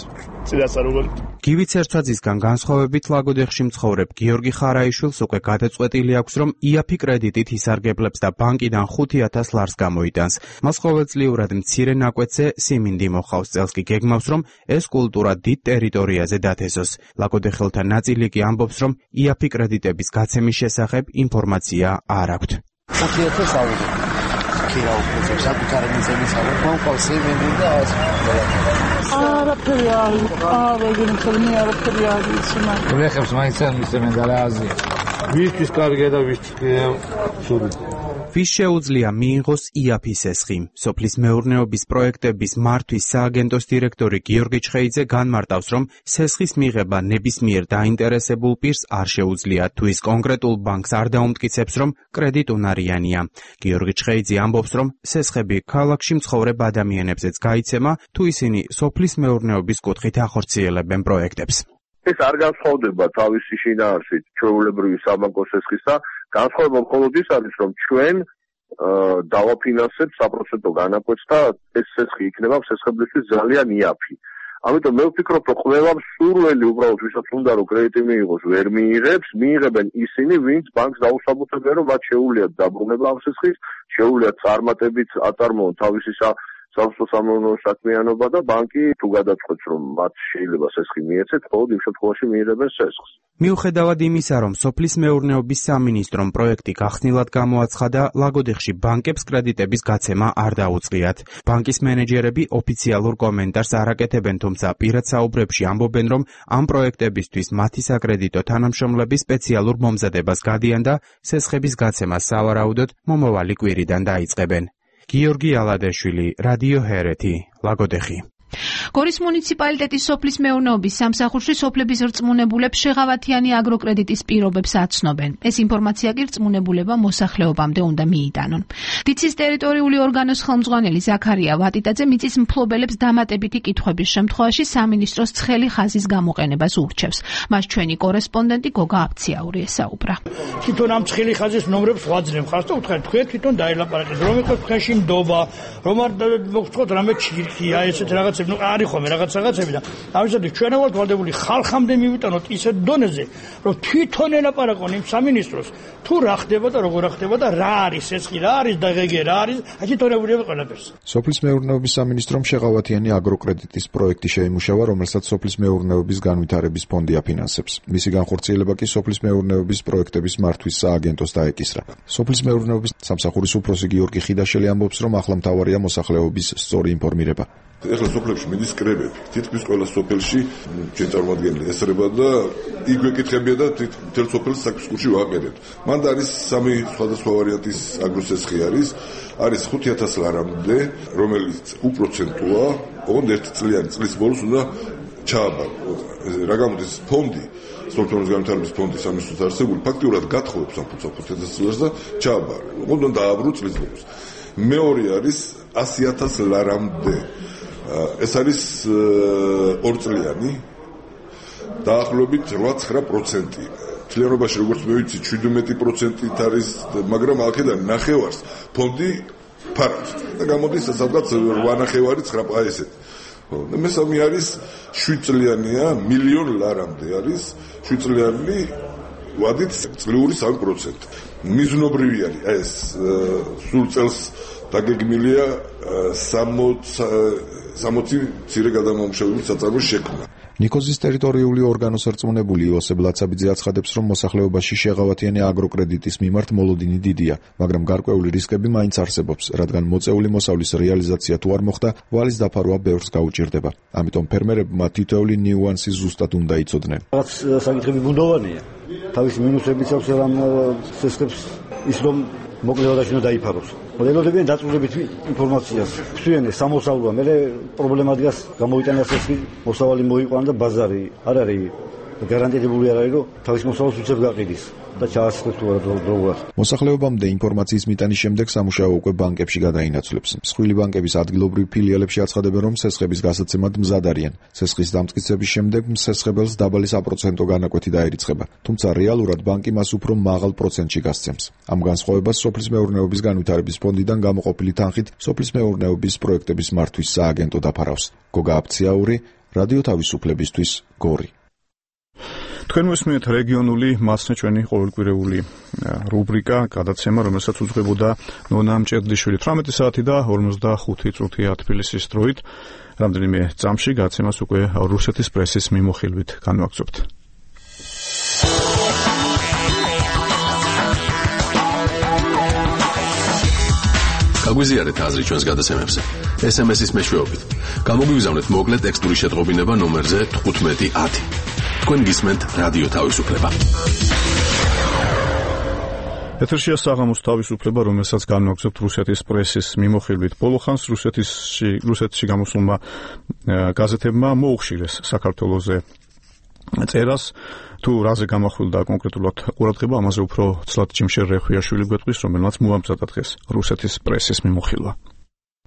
[SPEAKER 8] წინასწარ როგორ
[SPEAKER 6] გივი ცერცაძისგან განსხვავებით ლაგოდეხში მცხოვრებ გიორგი ხარაიშვილს უკვე გადაწყვეტილი აქვს, რომ იაფი კრედიტით ისარგებლებს და ბანკიდან 5,000 ლარს გამოიტანს. მას ყოველწლიურად მცირე ნაკვეთზე სიმინდი მოხავს, წელს კი გეგმავს, რომ ეს კულტურა დიდ ტერიტორიაზე დათესოს. ლაგოდეხელთა ნაწილი კი ამბობს, რომ იაფი კრედიტების გაცემის შესახებ ინფორმაცია არ აქვთ.
[SPEAKER 9] 5,000 აუზო. ქირა უკვე საკუთარი მიწების აღარ მომყავს სიმინდი და ასე.
[SPEAKER 10] არაფერი აღეგინე ხოლმე არაფერი აღიცნა.
[SPEAKER 9] ვეხებს მაინც არ მისცემენ და რა აზია.
[SPEAKER 8] ვისთვის კარგია და ვისთვის სული.
[SPEAKER 6] ვის შეუძლია მიიღოს იაფის სესხი? სოფლის მეურნეობის პროექტების მართვის სააგენტოს დირექტორი გიორგი ჩხეიძე განმარტავს, რომ სესხის მიღება ნებისმიერ დაინტერესებულ პირს არ შეუძლია, თუ ის კონკრეტულ ბანკს არ დაუმტკიცებს, რომ კრედიტუნარიანია. გიორგი ჩხეიძე ამბობს, რომ სესხები ქალაქში მცხოვრებ ადამიანებზეც გაიცემა, თუ ისინი სოფლის მეურნეობის კუთხით ახორციელებენ პროექტებს.
[SPEAKER 12] ეს არ განსხვავდება თავისი შინაარსით ჩვეულებრივი საბანკო სესხისა. განსხვავება მხოლოდ ის არის, რომ ჩვენ დავაფინანსებთ საპროცენტო განაკვეთს და ეს სესხი იქნება სესხებლისთვის ძალიან იაფი. ამიტომ მე ვფიქრობ, რომ ყველა მსურველი უბრალოდ ვისაც უნდა რომ კრედიტი მიიღოს, ვერ მიიღებს, მიიღებენ ისინი, ვინც ბანკს დაუსაბუთებენ, რომ მათ შეუძლიათ დაბრუნება ამ სესხის, შეუძლიათ წარმატებით აწარმოონ თავისი სამსახურო საქმიანობა და ბანკი თუ გადაწყვეტს, რომ მათ შეიძლება სესხი მიეცეთ, მხოლოდ იმ შემთხვევაში მიიღებენ სესხს.
[SPEAKER 6] მიუხედავად იმისა, რომ სოფლის მეურნეობის სამინისტრომ პროექტი გახსნილად გამოაცხადა, ლაგოდეხში ბანკებს კრედიტების გაცემა არ დაუწყიათ. ბანკის მენეჯერები ოფიციალურ კომენტარს არ აკეთებენ, თუმცა პირად საუბრებში ამბობენ, რომ ამ პროექტებისთვის მათი საკრედიტო თანამშრომლები სპეციალურ მომზადებას გადიან და სესხების გაცემას სავარაუდოდ მომავალი კვირიდან დაიწყებენ. გიორგი ალადაშვილი, რადიო ჰერეთი, ლაგოდეხი.
[SPEAKER 18] გორის მუნიციპალიტეტის სოფლის მეურნეობის სამსახურში სოფლების რწმუნებულებს შეღავათიანი აგროკრედიტის პირობებს აცნობენ. ეს ინფორმაცია კი რწმუნებულება მოსახლეობამდე უნდა მიიტანონ. დიცის ტერიტორიული ორგანოს ხელმძღვანელი ზაქარია ვატიტაძე მიწის მფლობელებს დამატებითი კითხვების შემთხვევაში სამინისტროს ცხელი ხაზის გამოყენებას ურჩევს. მას ჩვენი კორესპონდენტი გოგა აფციაური ესაუბრა.
[SPEAKER 10] თვითონ ამ ცხელი ხაზის ნომრებს ვაძლევ ხარს და უთხარით თქვენ თვითონ დაელაპარაკეთ, რომ იყოს თქვენში ნდობა, რომ არ მოგწყვეტ რამე ჩირქია, ესეთ რაღაც ნუ არის ხოლმე რაღაცები და ამისათვის ჩვენ ვართ ვალდებული ხალხამდე მივიტანოთ ისეთ დონეზე, რომ თვითონ ელაპარაკონ იმ სამინისტროს, თუ რა ხდება და როგორ ხდება და რა არის სესხი, რა არის დაღეგე, რა არის, აკითორებული ყველაფერს.
[SPEAKER 26] სოფლის მეურნეობის სამინისტრომ შეღავათიანი აგროკრედიტის პროექტი შეიმუშავა, რომელსაც სოფლის მეურნეობის განვითარების ფონდი აფინანსებს. მისი განხორციელება კი სოფლის მეურნეობის პროექტების მართვის სააგენტოს დაეკისრა. სოფლის მეურნეობის სამსახურის უფროსი გიორგი ხიდაშელი ამბობს, რომ ახლა მთავარია მოსახლეობის სწორი ინფორმირება.
[SPEAKER 27] ეხლა სოფლებში მიდის კრებები. თითქმის ყველა სოფელში ჩვენ წარმოგადგენელი ესრება და იქ ვეკითხებია და მთელ სოფელს საქმისკურში ვაყენებთ. მან არის სამი სხვადასხვა ვარიანტის აგროსესხი არის 5,000 ლარამდე, რომელიც უპროცენტოა, ოღონდ 1 წლიანი წლის ბოლოს უნდა ჩააბარო. რა გამოდის ფონდი, სოფლის განვითარების ფონდი სამინისტროს არსებული ფაქტიურად გათხოვებს ამ 5,000 ლარს და ჩააბარო. ოღონდ დააბრუნოს წლის ბოლოს. მეორე არის 100,000 ლარამდე. ეს არის 2 წლიანი დაახლოებით 8-9%. თლიანობაში როგორც მე ვიცი 17%-ით არის, მაგრამ აქედან ნახევარს ფონდი ფარავს და გამოდის სადღაც 8,9 ესეთ. და მესამე არის 7 წლიანია, 1,000,000 ლარამდე არის 7 წლიანი ვადით წლიური 3%. მიზნობრივი არის ეს სულ წელს დაგეგმილია 60 მცირე გადამამუშავებელი საწარმოს შექმნა.
[SPEAKER 26] ნიკოზის ტერიტორიული ორგანოს რწმუნებული იოსებ ლაცაბიძე აცხადებს, რომ მოსახლეობაში შეღავათიანი აგროკრედიტის მიმართ მოლოდინი დიდია, მაგრამ გარკვეული რისკები მაინც არსებობს, რადგან მოწეული მოსავლის რეალიზაცია თუ არ მოხდა, ვალის დაფარვა ბევრს გაუჭირდება. ამიტომ ფერმერებმა თითოეული ნიუანსი ზუსტად უნდა იცოდნენ.
[SPEAKER 23] რაღაც საკითხები ბუნდოვანია. თავის მინუსებიც აქვს ამ სესხებს ის რომ მოკლევადაში უნდა დაიფაროს. ველოდებიან დაწვრილებითი ინფორმაციას. ხსვიან სამოსავლოა, მე პრობლემა დგას გამოვიტანას ეს მოსავალი მოიყვანა და ბაზარი არ არის გარანტირებული არ არის, რომ თავის მოსავალს უცებ გაყიდის. და ჩაასწრებს თუ არა დროულად.
[SPEAKER 26] მოსახლეობამდე ინფორმაციის მიტანის შემდეგ სამუშაო უკვე ბანკებში გადაინაცვლებს. მსხვილი ბანკების ადგილობრივ ფილიალებში აცხადებენ, რომ სესხების გასაცემად მზად არიან. სესხის დამტკიცების შემდეგ მსესხებელს დაბალი საპროცენტო განაკვეთი დაერიცხება, თუმცა რეალურად ბანკი მას უფრო მაღალ პროცენტში გასცემს. ამ განსხვავებას სოფლის მეურნეობის განვითარების ფონდიდან გამოყოფილი თანხით სოფლის მეურნეობის პროექტების მართვის სააგენტო დაფარავს. გოგა აფციაური, რადიო თავისუფლებისთვის, გორი.
[SPEAKER 1] თქვენ მოსმენთ რეგიონული მასწავლე ჩვენი ყოველკვირეული რუბრიკა გადაცემა, რომელსაც უძღვებოდა ნონა მჭედლიშვილი 18 საათი და 45 წუთია თბილისის დროით. რამდენიმე წამში გადაცემას უკვე რუსეთის პრესის მიმოხილვით განვაგრძობთ.
[SPEAKER 3] გაგვიზიარეთ აზრი ჩვენს გადაცემებზე. SMS-ის მეშვეობით. გამოგვიგზავნეთ მოკლე ტექსტური შეტყობინება ნომერზე 1510. თქვენ გისმენთ რადიო თავისუფლება.
[SPEAKER 1] ეთერშია საღამოს თავისუფლება, რომელსაც განვაგრძობთ რუსეთის პრესის მიმოხილვით. ბოლო ხანს რუსეთში გამოსულმა გაზეთებმა მოუხშირეს საქართველოზე წერას. თუ რაზე გამახვილდა კონკრეტულად ყურადღება, ამაზე უფრო ცლად ჯიმშერ რეხვიაშვილი გვეტყვის, რომელმაც მოამზადა დღეს რუსეთის პრესის მიმოხილვა.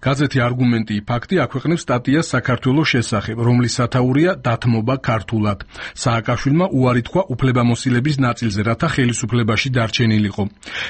[SPEAKER 4] გაზეთი არგუმენტი ფაქტი აქვეყნებს სტატიას საქართველოს შესახებ, რომლის სათაურია დათმობა ქართულად. სააკაშვილმა უარი თქვა უფლებამოსილების ნაწილზე, რათა ხელისუფლებაში დარჩენილიყო.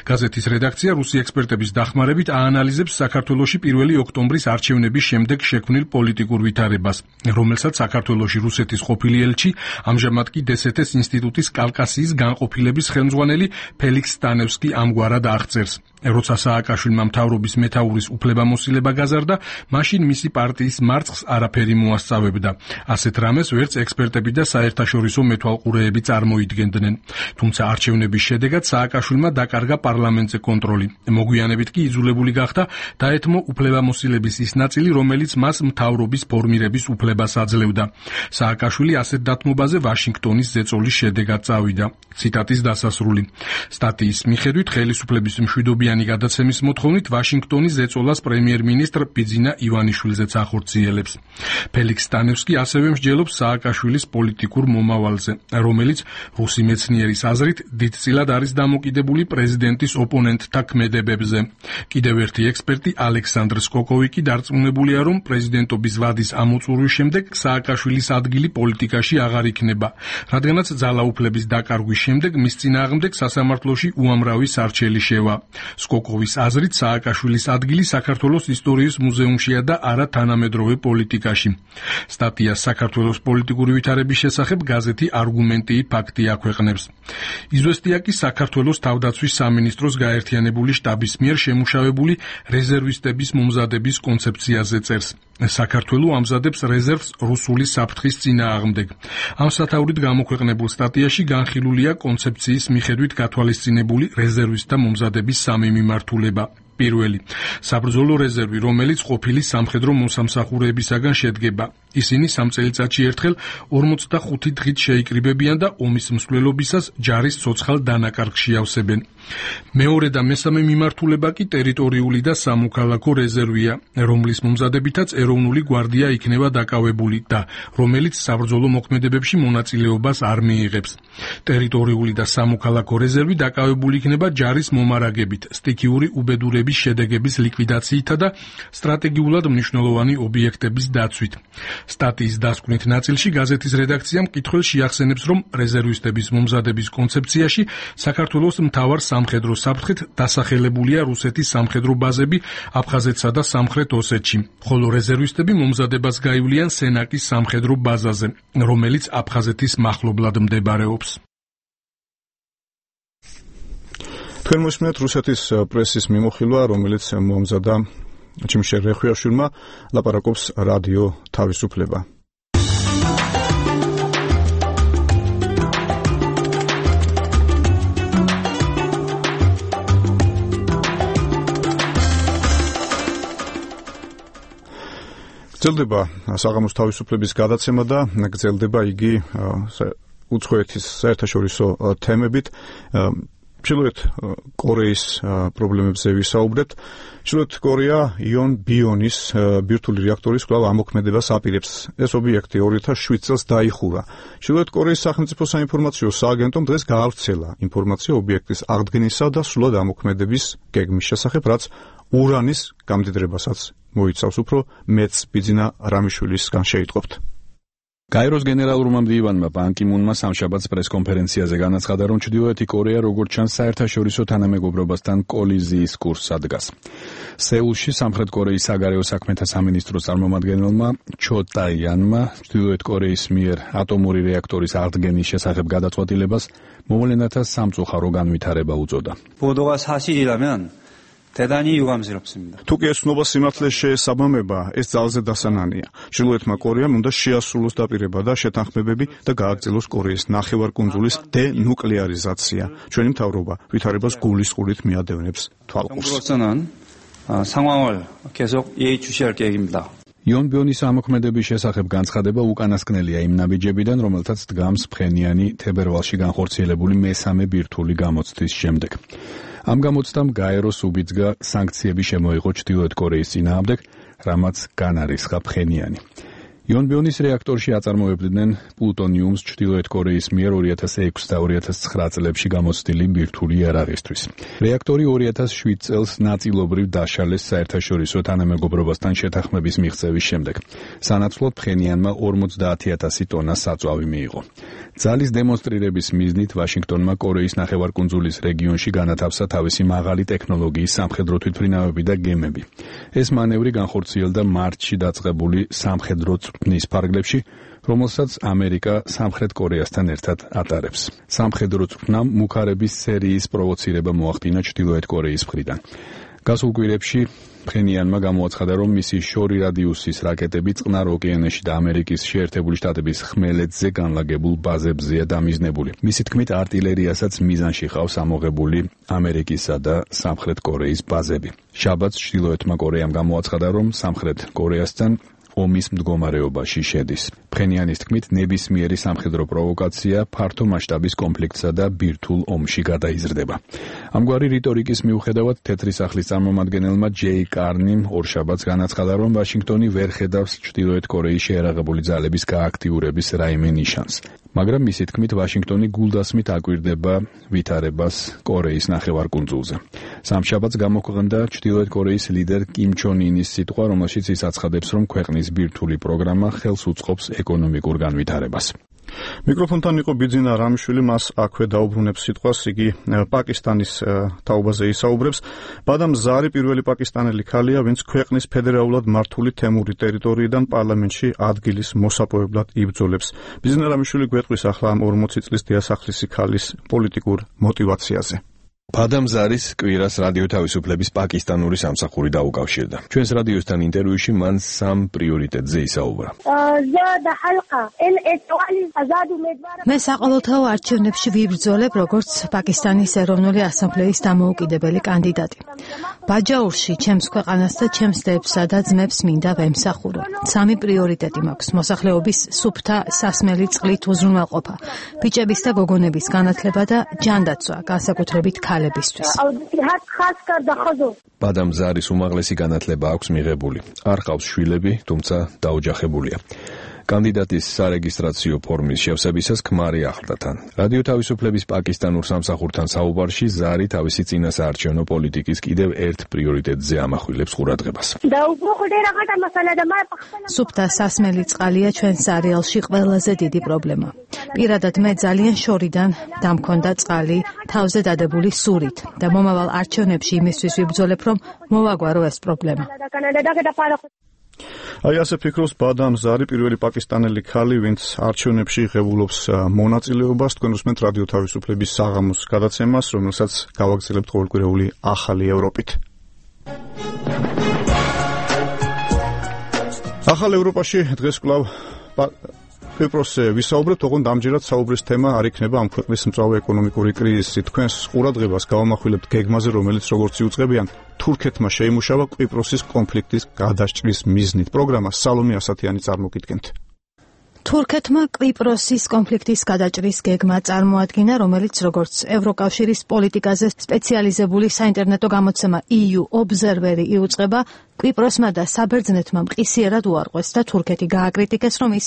[SPEAKER 4] გაზეთის რედაქცია რუსი ექსპერტების დახმარებით აანალიზებს საქართველოში 1 ოქტომბრის არჩევნების შემდეგ შექმნილ პოლიტიკურ ვითარებას, რომელსაც საქართველოში რუსეთის ყოფილი ელჩი, ამჟამად კი დსთ-ის ინსტიტუტის კავკასიის განყოფილების ხელმძღვანელი ფელიქს სტანევსკი ამგვარად აღწერს. როცა სააკაშვილმა მთავრობის მეთაურის უფლებამოსილება გაზარდა, მაშინ მისი პარტიის მარცხს არაფერი მოასწავებდა. ასეთ რამეს ვერც ექსპერტები და საერთაშორისო მეთვალყურეები წარმოიდგენდნენ. თუმცა არჩევნების შედეგად სააკაშვილმა დაკარგა პარლამენტზე კონტროლი. მოგვიანებით კი იძულებული გახდა დაეთმო უფლებამოსილების ის ნაწილი, რომელიც მას მთავრობის ფორმირების უფლებას აძლევდა. სააკაშვილი ასეთ დათმობაზე ვაშინგტონის ზეწოლის შედეგად წავიდა. ციტატის დასასრული. სტატიის მიხედვით ხელისუფლების მშვიდობიანი გადაცემის მოთხოვნით ვაშინგტონის ზეწოლას პრემიერ-მინისტრ ბიძინა ივანიშვილზეც ახორციელებს. ფელიქს სტანევსკი ასევე მსჯელობს სააკაშვილის პოლიტიკურ მომავალზე, რომელიც რუსი მეცნიერის აზრით დიდწილად არის დამოკიდებული პრეზიდენტის ოპონენტთა ქმედებებზე. კიდევ ერთი ექსპერტი ალექსანდრ სკოკოვი კი დარწმუნებულია, რომ პრეზიდენტობის ვადის ამოწურვის შემდეგ სააკაშვილის ადგილი პოლიტიკაში აღარ იქნება, რადგანაც ძალაუფლების დაკარგვის შემდეგ მის წინააღმდეგ სასამართლოში უამრავი სარჩელი შევა. სკოკოვის აზრით სააკაშვილის ადგილი საქართველოს ისტორიის მუზეუმშია და არა თანამედროვე პოლიტიკაში. სტატიას საქართველოს პოლიტიკური ვითარების შესახებ გაზეთი არგუმენტი ფაქტი აქვეყნებს. იზვესტია კი საქართველოს თავდაცვის სამინისტროს გაერთიანებული შტაბის მიერ შემუშავებული რეზერვისტების მომზადების კონცეფციაზე წერს. საქართველო ამზადებს რეზერვს რუსული საფრთხის წინააღმდეგ. ამ სათაურით გამოქვეყნებულ სტატიაში განხილულია კონცეფციის მიხედვით გათვალისწინებული რეზერვისტთა მომზადების სამი მიმართულება. პირველი, საბრძოლო რეზერვი, რომელიც ყოფილი სამხედრო მოსამსახურეებისაგან შედგება. ისინი 3 წელიწადში ერთხელ 45 დღით შეიკრიბებიან და ომის მსვლელობისას ჯარის ცოცხალ დანაკარგში ავსებენ. მეორე და მესამე მიმართულება კი ტერიტორიული და სამოქალაქო რეზერვია, რომლის მომზადებითაც ეროვნული გვარდია იქნება დაკავებული და რომელიც საბრძოლო მოქმედებებში მონაწილეობას არ მიიღებს. ტერიტორიული და სამოქალაქო რეზერვი დაკავებული იქნება ჯარის მომარაგებით, სტიქიური უბედურების შედეგების ლიკვიდაციითა და სტრატეგიულად მნიშვნელოვანი ობიექტების დაცვით. სტატიის დასკვნით ნაწილში გაზეთის რედაქციამ მკითხველს შეახსენებს, რომ რეზერვისტების მომზადების კონცეფციაში საქართველოს მთავარ სამხედრო საფრთხით დასახელებულია რუსეთის სამხედრო ბაზები აფხაზეთსა და სამხრეთ ოსეთში, ხოლო რეზერვისტები მომზადებას გაივლიან სენაკის სამხედრო ბაზაზე, რომელიც აფხაზეთის მახლობლად მდებარეობს.
[SPEAKER 1] თქვენ მოსმენთ რუსეთის პრესის მიმოხილვა, რომელიც მოამზადა ჯიმშერ რეხვიაშვილმა, ლაპარაკობს რადიო თავისუფლება. გრძელდება საღამოს თავისუფლების გადაცემა და გრძელდება იგი უცხოეთის საერთაშორისო თემებით. ჩრდილოეთ კორეის პრობლემებზე ვისაუბრებთ. ჩრდილოეთ კორეა იონ ბიონის ბირთვული რეაქტორის კვლავ ამოქმედებას აპირებს. ეს ობიექტი 2007 წელს დაიხურა. ჩრდილოეთ კორეის სახელმწიფო საინფორმაციო სააგენტომ დღეს გაავრცელა ინფორმაცია ობიექტის აღდგენისა და სრულად ამოქმედების გეგმის შესახებ, რაც ურანის გამდიდრებასაც მოიცავს. უფრო მეც ბიძინა რამიშვილისგან შეიტყობთ.
[SPEAKER 2] გაეროს გენერალურმა მდივანმა ბან კი მუნმა სამშაბათს პრესკონფერენციაზე განაცხადა, რომ ჩრდილოეთი კორეა როგორც ჩანს საერთაშორისო თანამეგობრობასთან კოლიზიის კურსს ადგას. სეულში სამხრეთ კორეის საგარეო საქმეთა სამინისტროს წარმომადგენელმა ჩო ტაიანმა ჩრდილოეთ კორეის მიერ ატომური რეაქტორის აღდგენის შესახებ გადაწყვეტილებას მოვლენათა სამწუხარო განვითარება უწოდა.
[SPEAKER 5] 보도가 사실이라면 대단히 유감스럽습니다.
[SPEAKER 1] თუკი ეს ცნობა სიმართლეს შეესაბამება, ეს ძალზე დასანანია. ჩრდილოეთმა კორეამ უნდა შეასრულოს დაპირება და შეთანხმებები და გააგრძელოს კორეის ნახევარკუნძულის დენუკლეარიზაცია. ჩვენი მთავრობა ვითარებას გულისყურით მიადევნებს თვალყურს.
[SPEAKER 5] 상황을 계속 예의주시할 계획입니다.
[SPEAKER 2] იონ ბიონის ამოქმედების შესახებ განცხადება უკანასკნელია იმ ნაბიჯებიდან, რომელთაც დგამს ფხენიანი თებერვალში განხორციელებული მესამე ბირთვული გამოცდის შემდეგ. ამ გამოცდამ გაეროს უბიძგა სანქციები შემოიღო ჩრდილოეთ კორეის წინააღმდეგ, რამაც განარისხა ფხენიანი. იონ ბიონის რეაქტორში აწარმოებდნენ პლუტონიუმს ჩრდილოეთ კორეის მიერ 2006 და 2009 წლებში გამოცდილი ბირთვული იარაღისთვის. რეაქტორი 2007 წელს ნაწილობრივ დაშალეს საერთაშორისო თანამეგობრობასთან შეთანხმების მიღწევის შემდეგ. სანაცვლოდ ფხენიანმა 50,000 ტონა საწვავი მიიღო. ძალის დემონსტრირების მიზნით ვაშინგტონმა კორეის ნახევარკუნძულის რეგიონში განათავსა თავისი მაღალი ტექნოლოგიის სამხედრო თვითმფრინავები და გემები. ეს მანევრი განხორციელდა მარტში დაწყებული სამხედრო წვრთნის ფარგლებში, რომელსაც ამერიკა სამხრეთ კორეასთან ერთად ატარებს. სამხედრო წვრთნამ მუქარების სერიის პროვოცირება მოახდინა ჩრდილოეთ კორეის მხრიდან. გასულ კვირებში ფხენიანმა გამოაცხადა, რომ მისი შორი რადიუსის რაკეტები წყნარ ოკეანეში და ამერიკის შეერთებული შტატების ხმელეთზე განლაგებულ ბაზებზეა დამიზნებული. მისი თქმით, არტილერიასაც მიზანში ყავს ამოღებული ამერიკისა და სამხრეთ კორეის ბაზები. შაბათს ჩრდილოეთმა კორეამ გამოაცხადა, რომ სამხრეთ კორეასთან ომის მდგომარეობაში შედის. ფხენიანის თქმით, ნებისმიერი სამხედრო პროვოკაცია ფართო მასშტაბის კონფლიქტსა და ბირთვულ ომში გადაიზრდება. ამგვარი რიტორიკის მიუხედავად, თეთრი სახლის წარმომადგენელმა ჯეი კარნიმ ორშაბათს განაცხადა, რომ ვაშინგტონი ვერ ხედავს ჩრდილოეთ კორეის შეერაღებული ძალების გააქტიურების რაიმე ნიშანს. მაგრამ მისი თქმით, ვაშინგტონი გულდასმით აკვირდება ვითარებას კორეის ნახევარკუნძულზე. სამშაბათს გამოქვეყნდა ჩრდილოეთ კორეის ლიდერ კიმ ჩონ ინის სიტყვა, რომელშიც ის აცხადებს, რომ ქვეყნის ბირთვული პროგრამა ხელს უწყობს ეკონომიკურ განვითარებას. მიკროფონთან იყო ბიძინა რამიშვილი, მას აქვე დაუბრუნებს სიტყვას, იგი პაკისტანის თაობაზე ისაუბრებს. ბადამ ზარი პირველი პაკისტანელი ქალია, ვინც ქვეყნის ფედერალურად მართული თემური ტერიტორიიდან პარლამენტში ადგილის მოსაპოვებლად იბრძოლებს. ბიძინა რამიშვილი გვეტყვის ახლა ამ 40 წლის დიასახლისი ქალის პოლიტიკურ мотиваციაზე. ბადამ ზარის კვირას რადიო თავისუფლების პაკისტანური სამსახური დაუკავშირდა. ჩვენს რადიოსთან ინტერვიუში მან სამ პრიორიტეტზე ისაუბრა.
[SPEAKER 18] მე საყოველთაო არჩევნებში ვიბრძოლებ როგორც პაკისტანის ეროვნული ასამბლეის დამოუკიდებელი კანდიდატი. ბაჯაურში ჩემს ქვეყანას და ჩემს დებს და ძმებს მინდა ვემსახურო. სამი პრიორიტეტი მაქვს: მოსახლეობის სუფთა სასმელი წყლით უზრუნველყოფა, ბიჭების და გოგონების განათლება და ჯანდაცვა, განსაკუთრებით ქალებისთვის.
[SPEAKER 2] ბადამ ზარის უმაღლესი განათლება აქვს მიღებული. არ ყავს შვილები, თუმცა დაოჯახებულია. კანდიდატის სარეგისტრაციო ფორმის შევსებისას ქმარი ახლდა თან. რადიო თავისუფლების პაკისტანურ სამსახურთან საუბარში ზარი თავისი წინასაარჩევნო პოლიტიკის კიდევ ერთ პრიორიტეტზე ამახვილებს ყურადღებას.
[SPEAKER 18] სუფთა სასმელი წყალია ჩვენ სარიალში ყველაზე დიდი პრობლემა. პირადად მე ძალიან შორიდან დამქონდა წყალი თავზე დადებული სურით და მომავალ არჩევნებში იმისთვის ვიბრძოლებ, რომ მოვაგვარო ეს პრობლემა. აი ასე ფიქრობს ბადამ ზარი, პირველი პაკისტანელი ქალი, ვინც არჩევნებში ღებულობს მონაწილეობას. თქვენ უსმენთ რადიო თავისუფლების საღამოს გადაცემას, რომელსაც გავაგრძელებთ ყოველკვირეული ახალი ევროპით. ახალ ევროპაში დღეს კვლავ კვიპროსზე ვისაუბრებთ, ოღონდ ამჯერად საუბრის თემა არ იქნება ამ ქვეყნის მწვავე ეკონომიკური კრიზისი. თქვენს ყურადღებას გავამახვილებთ გეგმაზე, რომელიც როგორც იუწყებიან, თურქეთმა შეიმუშავა კვიპროსის კონფლიქტის გადაჭრის მიზნით. პროგრამა სალომე ასათიანი წარმოგიდგენთ.
[SPEAKER 7] თურქეთმა კვიპროსის კონფლიქტის გადაჭრის გეგმა წარმოადგინა, რომელიც როგორც ევროკავშირის პოლიტიკაზე სპეციალიზებული საინტერნეტო გამოცემა EU Observer-ი იუწყება, კვიპროსმა და საბერძნეთმა მყისიერად უარყვეს და თურქეთი გააკრიტიკეს, რომ ის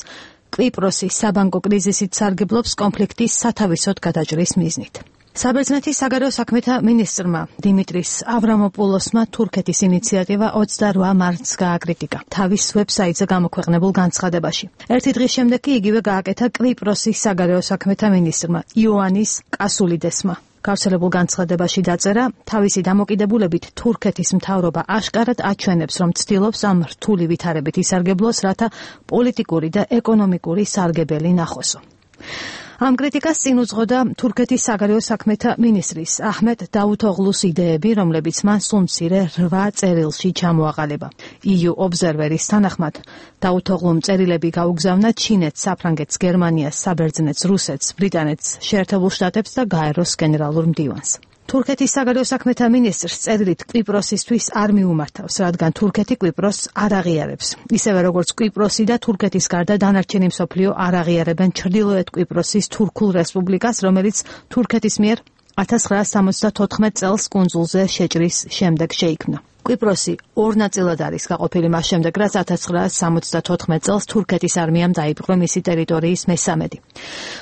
[SPEAKER 7] კვიპროსის საბანკო კრიზისით სარგებლობს კონფლიქტის სათავისოდ გადაჭრის მიზნით. საბერძნეთის საგარეო საქმეთა მინისტრმა დიმიტრის ავრამოპულოსმა თურქეთის ინიციატივა 28 მარტს გააკრიტიკა თავის ვებსაიტზე გამოქვეყნებულ განცხადებაში. ერთი დღის შემდეგ კი იგივე გააკეთა კვიპროსის საგარეო საქმეთა მინისტრმა იოანის კასულიდესმა. გავრცელებულ განცხადებაში დაწერა, თავისი დამოკიდებულებით თურქეთის მთავრობა აშკარად აჩვენებს, რომ ცდილობს ამ რთული ვითარებით ისარგებლოს, რათა პოლიტიკური და ეკონომიკური სარგებელი ნახოსო. ამ კრიტიკას წინ უძღოდა თურქეთის საგარეო საქმეთა მინისტრის აჰმედ დაუთოღლუს იდეები, რომლებიც მან სულ მცირე 8 წერილში ჩამოაყალიბა. EU Observer-ის თანახმად დაუთოღლუმ წერილები გაუგზავნა ჩინეთს, საფრანგეთს, გერმანიას, საბერძნეთს, რუსეთს, ბრიტანეთს, შეერთებულ შტატებს და გაეროს გენერალურ მდივანს. თურქეთის საგარეო საქმეთა მინისტრს წერილით კვიპროსისთვის არ მიუმართავს, რადგან თურქეთი კვიპროსს არ აღიარებს. ისევე როგორც კვიპროსი და თურქეთის გარდა დანარჩენი მსოფლიო არ აღიარებენ ჩრდილოეთ კვიპროსის თურქულ რესპუბლიკას, რომელიც თურქეთის მიერ 1974 წელს კუნძულზე შეჭრის შემდეგ შეიქმნა. კვიპროსი ორ ნაწილად არის გაყოფილი მას შემდეგ, რაც 1974 წელს თურქეთის არმიამ დაიპყრო მისი ტერიტორიის მესამედი.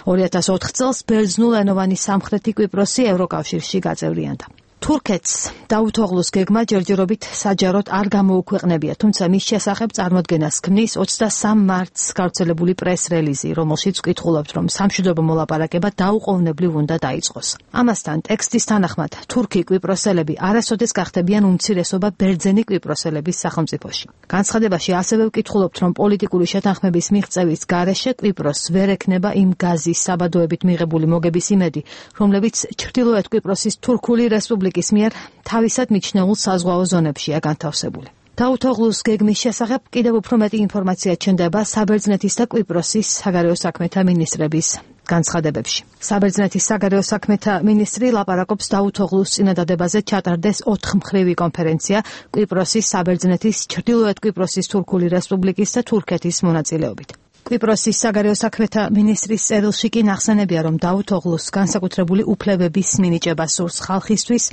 [SPEAKER 7] 2004 წელს ბერძნულენოვანი სამხრეთი კვიპროსი ევროკავშირში გაწევრიანდა. თურქეთს დაუთოღლუს გეგმა ჯერჯერობით საჯაროდ არ გამოუქვეყნებია, თუმცა მის შესახებ წარმოდგენას ქმნის 23 მარტს გავრცელებული პრეს-რელიზი, რომელშიც ვკითხულობთ, რომ სამშვიდობო მოლაპარაკება დაუყოვნებლივ უნდა დაიწყოს. ამასთან ტექსტის თანახმად თურქი კვიპროსელები არასოდეს გახდებიან უმცირესობა ბერძენი კვიპროსელების სახელმწიფოში. განცხადებაში ასევე ვკითხულობთ, რომ პოლიტიკური შეთანხმების მიღწევის გარეშე კვიპროსს ვერ ექნება იმ გაზის საბადოებით მიღებული მოგების იმედი, რომლებიც ჩრდილოეთ კვიპროსის თურქული რესპუბლიკის მიერ თავისად მიჩნეულ საზღვაო ზონებშია განთავსებული. დაუთოღლუს გეგმის შესახებ კიდევ უფრო მეტი ინფორმაცია ჩნდება საბერძნეთის და კვიპროსის საგარეო საქმეთა მინისტრების განცხადებებში. საბერძნეთის საგარეო საქმეთა მინისტრი ლაპარაკობს დაუთოღლუს წინადადებაზე ჩატარდეს 4-მხრივი კონფერენცია კვიპროსის, საბერძნეთის, ჩრდილოეთ კვიპროსის თურქული რესპუბლიკის და თურქეთის მონაწილეობით. კვიპროსის საგარეო საქმეთა მინისტრის წერილში კი ნახსენებია, რომ დაუთოღლუს განსაკუთრებული უფლებების მინიჭება სურს ხალხისთვის,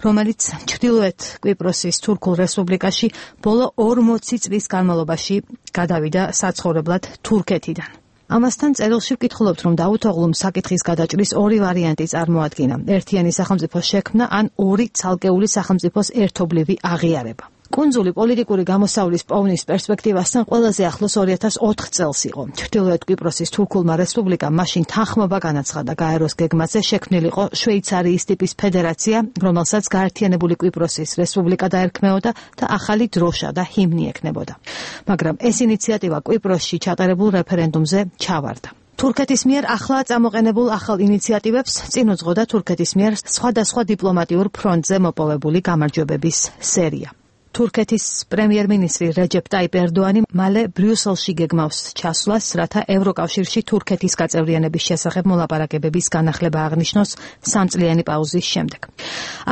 [SPEAKER 7] რომელიც ჩრდილოეთ კვიპროსის თურქულ რესპუბლიკაში ბოლო 40 წლის განმავლობაში გადავიდა საცხოვრებლად თურქეთიდან. ამასთან წერილში ვკითხულობთ, რომ დაუთოღლუმ საკითხის გადაჭრის ორი ვარიანტი წარმოადგინა: ერთიანი სახელმწიფოს შექმნა ან ორი ცალკეული სახელმწიფოს ერთობლივი აღიარება. კუნძული პოლიტიკური გამოსავლის პოვნის პერსპექტივასთან ყველაზე ახლოს 2004 წელს იყო. ჩრდილოეთ კვიპროსის თურქულმა რესპუბლიკამ მაშინ თანხმობა განაცხადა გაეროს გეგმაზე შექმნილიყო შვეიცარიის ტიპის ფედერაცია, რომელსაც გაერთიანებული კვიპროსის რესპუბლიკა დაერქმეოდა და ახალი დროშა და ჰიმნი ექნებოდა. მაგრამ ეს ინიციატივა კვიპროსში ჩატარებულ რეფერენდუმზე ჩავარდა. თურქეთის მიერ ახლა წამოყენებულ ახალ ინიციატივებს წინ უძღოდა თურქეთის მიერ სხვადასხვა დიპლომატიურ ფრონტზე მოპოვებული გამარჯვებების სერია. თურქეთის პრემიერ-მინისტრი რეჯეპ ტაიპ ერდოანი მალე ბრიუსელში გეგმავს ჩასვლას, რათა ევროკავშირში თურქეთის გაწევრიანების შესახებ მოლაპარაკებების განახლება აღნიშნოს 3 წლიანი პაუზის შემდეგ.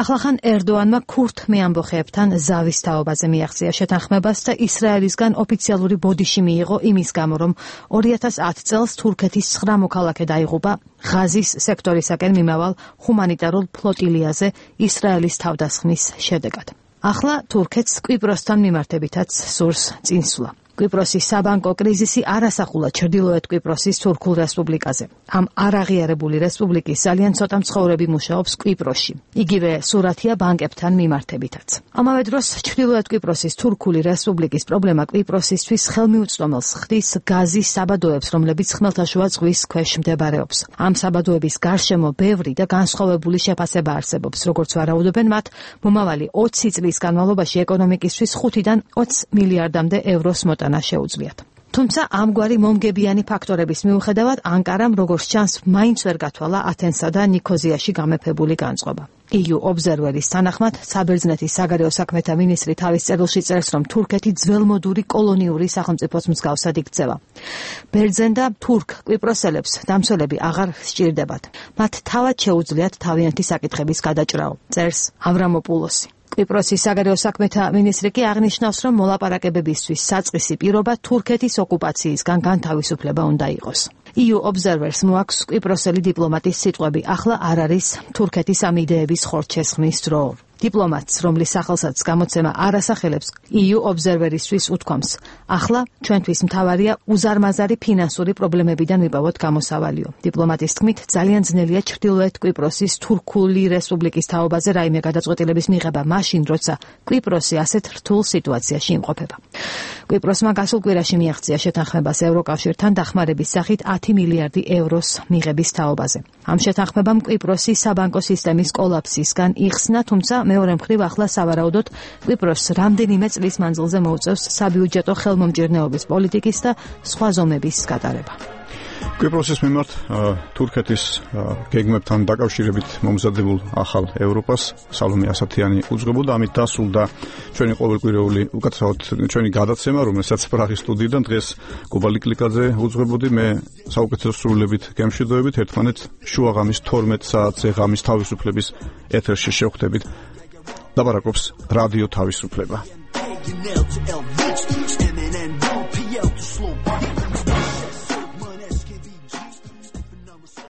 [SPEAKER 7] ახლახან ერდოანმა ქურთ მეამბოხეებთან ზავის თაობაზე მიაღწია შეთანხმებას და ისრაელისგან ოფიციალური ბოდიში მიიღო იმის გამო, რომ 2010 წელს თურქეთის 9 მოქალაქე დაიღუპა ღაზის სექტორისაკენ მიმავალ ჰუმანიტარულ ფლოტილიაზე ისრაელის თავდასხმის შედეგად. ახლა თურქეთს კვიპროსთან მიმართებითაც სურს წინსვლა. კვიპროსის საბანკო კრიზისი არ ასახულა ჩრდილოეთ კვიპროსის თურქულ რესპუბლიკაზე. ამ არაღიარებული რესპუბლიკის ძალიან ცოტა მცხოვრები მუშაობს კვიპროსში. იგივე სურათია ბანკებთან მიმართებითაც. ამავე დროს ჩრდილოეთ კვიპროსის თურქული რესპუბლიკის პრობლემა კვიპროსისთვის ხელმიუწვდომელს ხდის გაზის საბადოებს, რომლებიც ხმელთაშუა ზღვის ქვეშ მდებარეობს. ამ საბადოების გარშემო ბევრი და განსხვავებული შეფასება არსებობს, როგორც ვარაუდობენ მათ, მომავალი 20 წლის განმავლობაში ეკონომიკისთვის 5-დან 20 მილიარდამდე ევროს მოტანა შეუძლიათ. თუმცა ამგვარი მომგებიანი ფაქტორების მიუხედავად ანკარამ როგორც ჩანს მაინც ვერ გათვალა ათენსა და ნიქოზიაში გამეფებული განწყობა. EU Observer-ის თანახმად საბერძნეთის საგარეო საქმეთა მინისტრი თავის წერილში წერს, რომ თურქეთი ძველმოდური კოლონიური სახელმწიფოს მსგავსად იქცევა. ბერძენ და თურქ კვიპროსელებს დამცველები აღარ სჭირდებათ. მათ თავად შეუძლიათ თავიანთი საკითხების გადაჭრაო, წერს ავრამოპულოსი. კვიპროსის საგარეო საქმეთა მინისტრი კი აღნიშნავს, რომ მოლაპარაკებებისთვის საწყისი პირობა თურქეთის ოკუპაციისგან განთავისუფლება უნდა იყოს. EU Observers მოაქვს კვიპროსელი დიპლომატის სიტყვები, ახლა არ არის თურქეთის ამ იდეების ხორჩესხმის დრო. დიპლომატს, რომლის სახელსაც გამოცემა არ ასახელებს, EU Observer-ისთვის უთქვამს, ახლა ჩვენთვის მთავარია უზარმაზარი ფინანსური პრობლემებიდან ვიპოვოთ გამოსავალიო. დიპლომატის თქმით, ძალიან ძნელია ჩრდილოეთ კვიპროსის თურქული რესპუბლიკის თაობაზე რაიმე გადაწყვეტილების მიღება მაშინ, როცა კვიპროსი ასეთ რთულ სიტუაციაში იმყოფება. კვიპროსმა გასულ კვირაში მიაღწია შეთანხმებას ევროკავშირთან დახმარების სახით 10 მილიარდი ევროს მიღების თაობაზე. ამ შეთანხმებამ კვიპროსის საბანკო სისტემის კოლაფსისგან იხსნა, თუმცა მეორე მხრივ ახლა სავარაუდოდ კვიპროსს რამდენიმე წლის მანძილზე მოუწევს საბიუჯეტო ხელმომჭირნეობის პოლიტიკის და სხვა ზომების გატარება.
[SPEAKER 1] კვიპროსის მიმართ თურქეთის გეგმებთან დაკავშირებით მომზადებულ ახალ ევროპას სალომე ასათიანი უძღვებოდა, ამით დასრულდა ჩვენი ყოველკვირეული უკაცრავად ჩვენი გადაცემა, რომელსაც პრაღის სტუდიიდან დღეს კუბა ლიკლიკაძე უძღვებოდი, მე საუკეთესო სრულებით გემშვიდობებით, ერთმანეთს შუაღამის 12 საათზე ღამის თავისუფლების ეთერში შევხვდებით. Dabarakobs Radio Tavisufleba.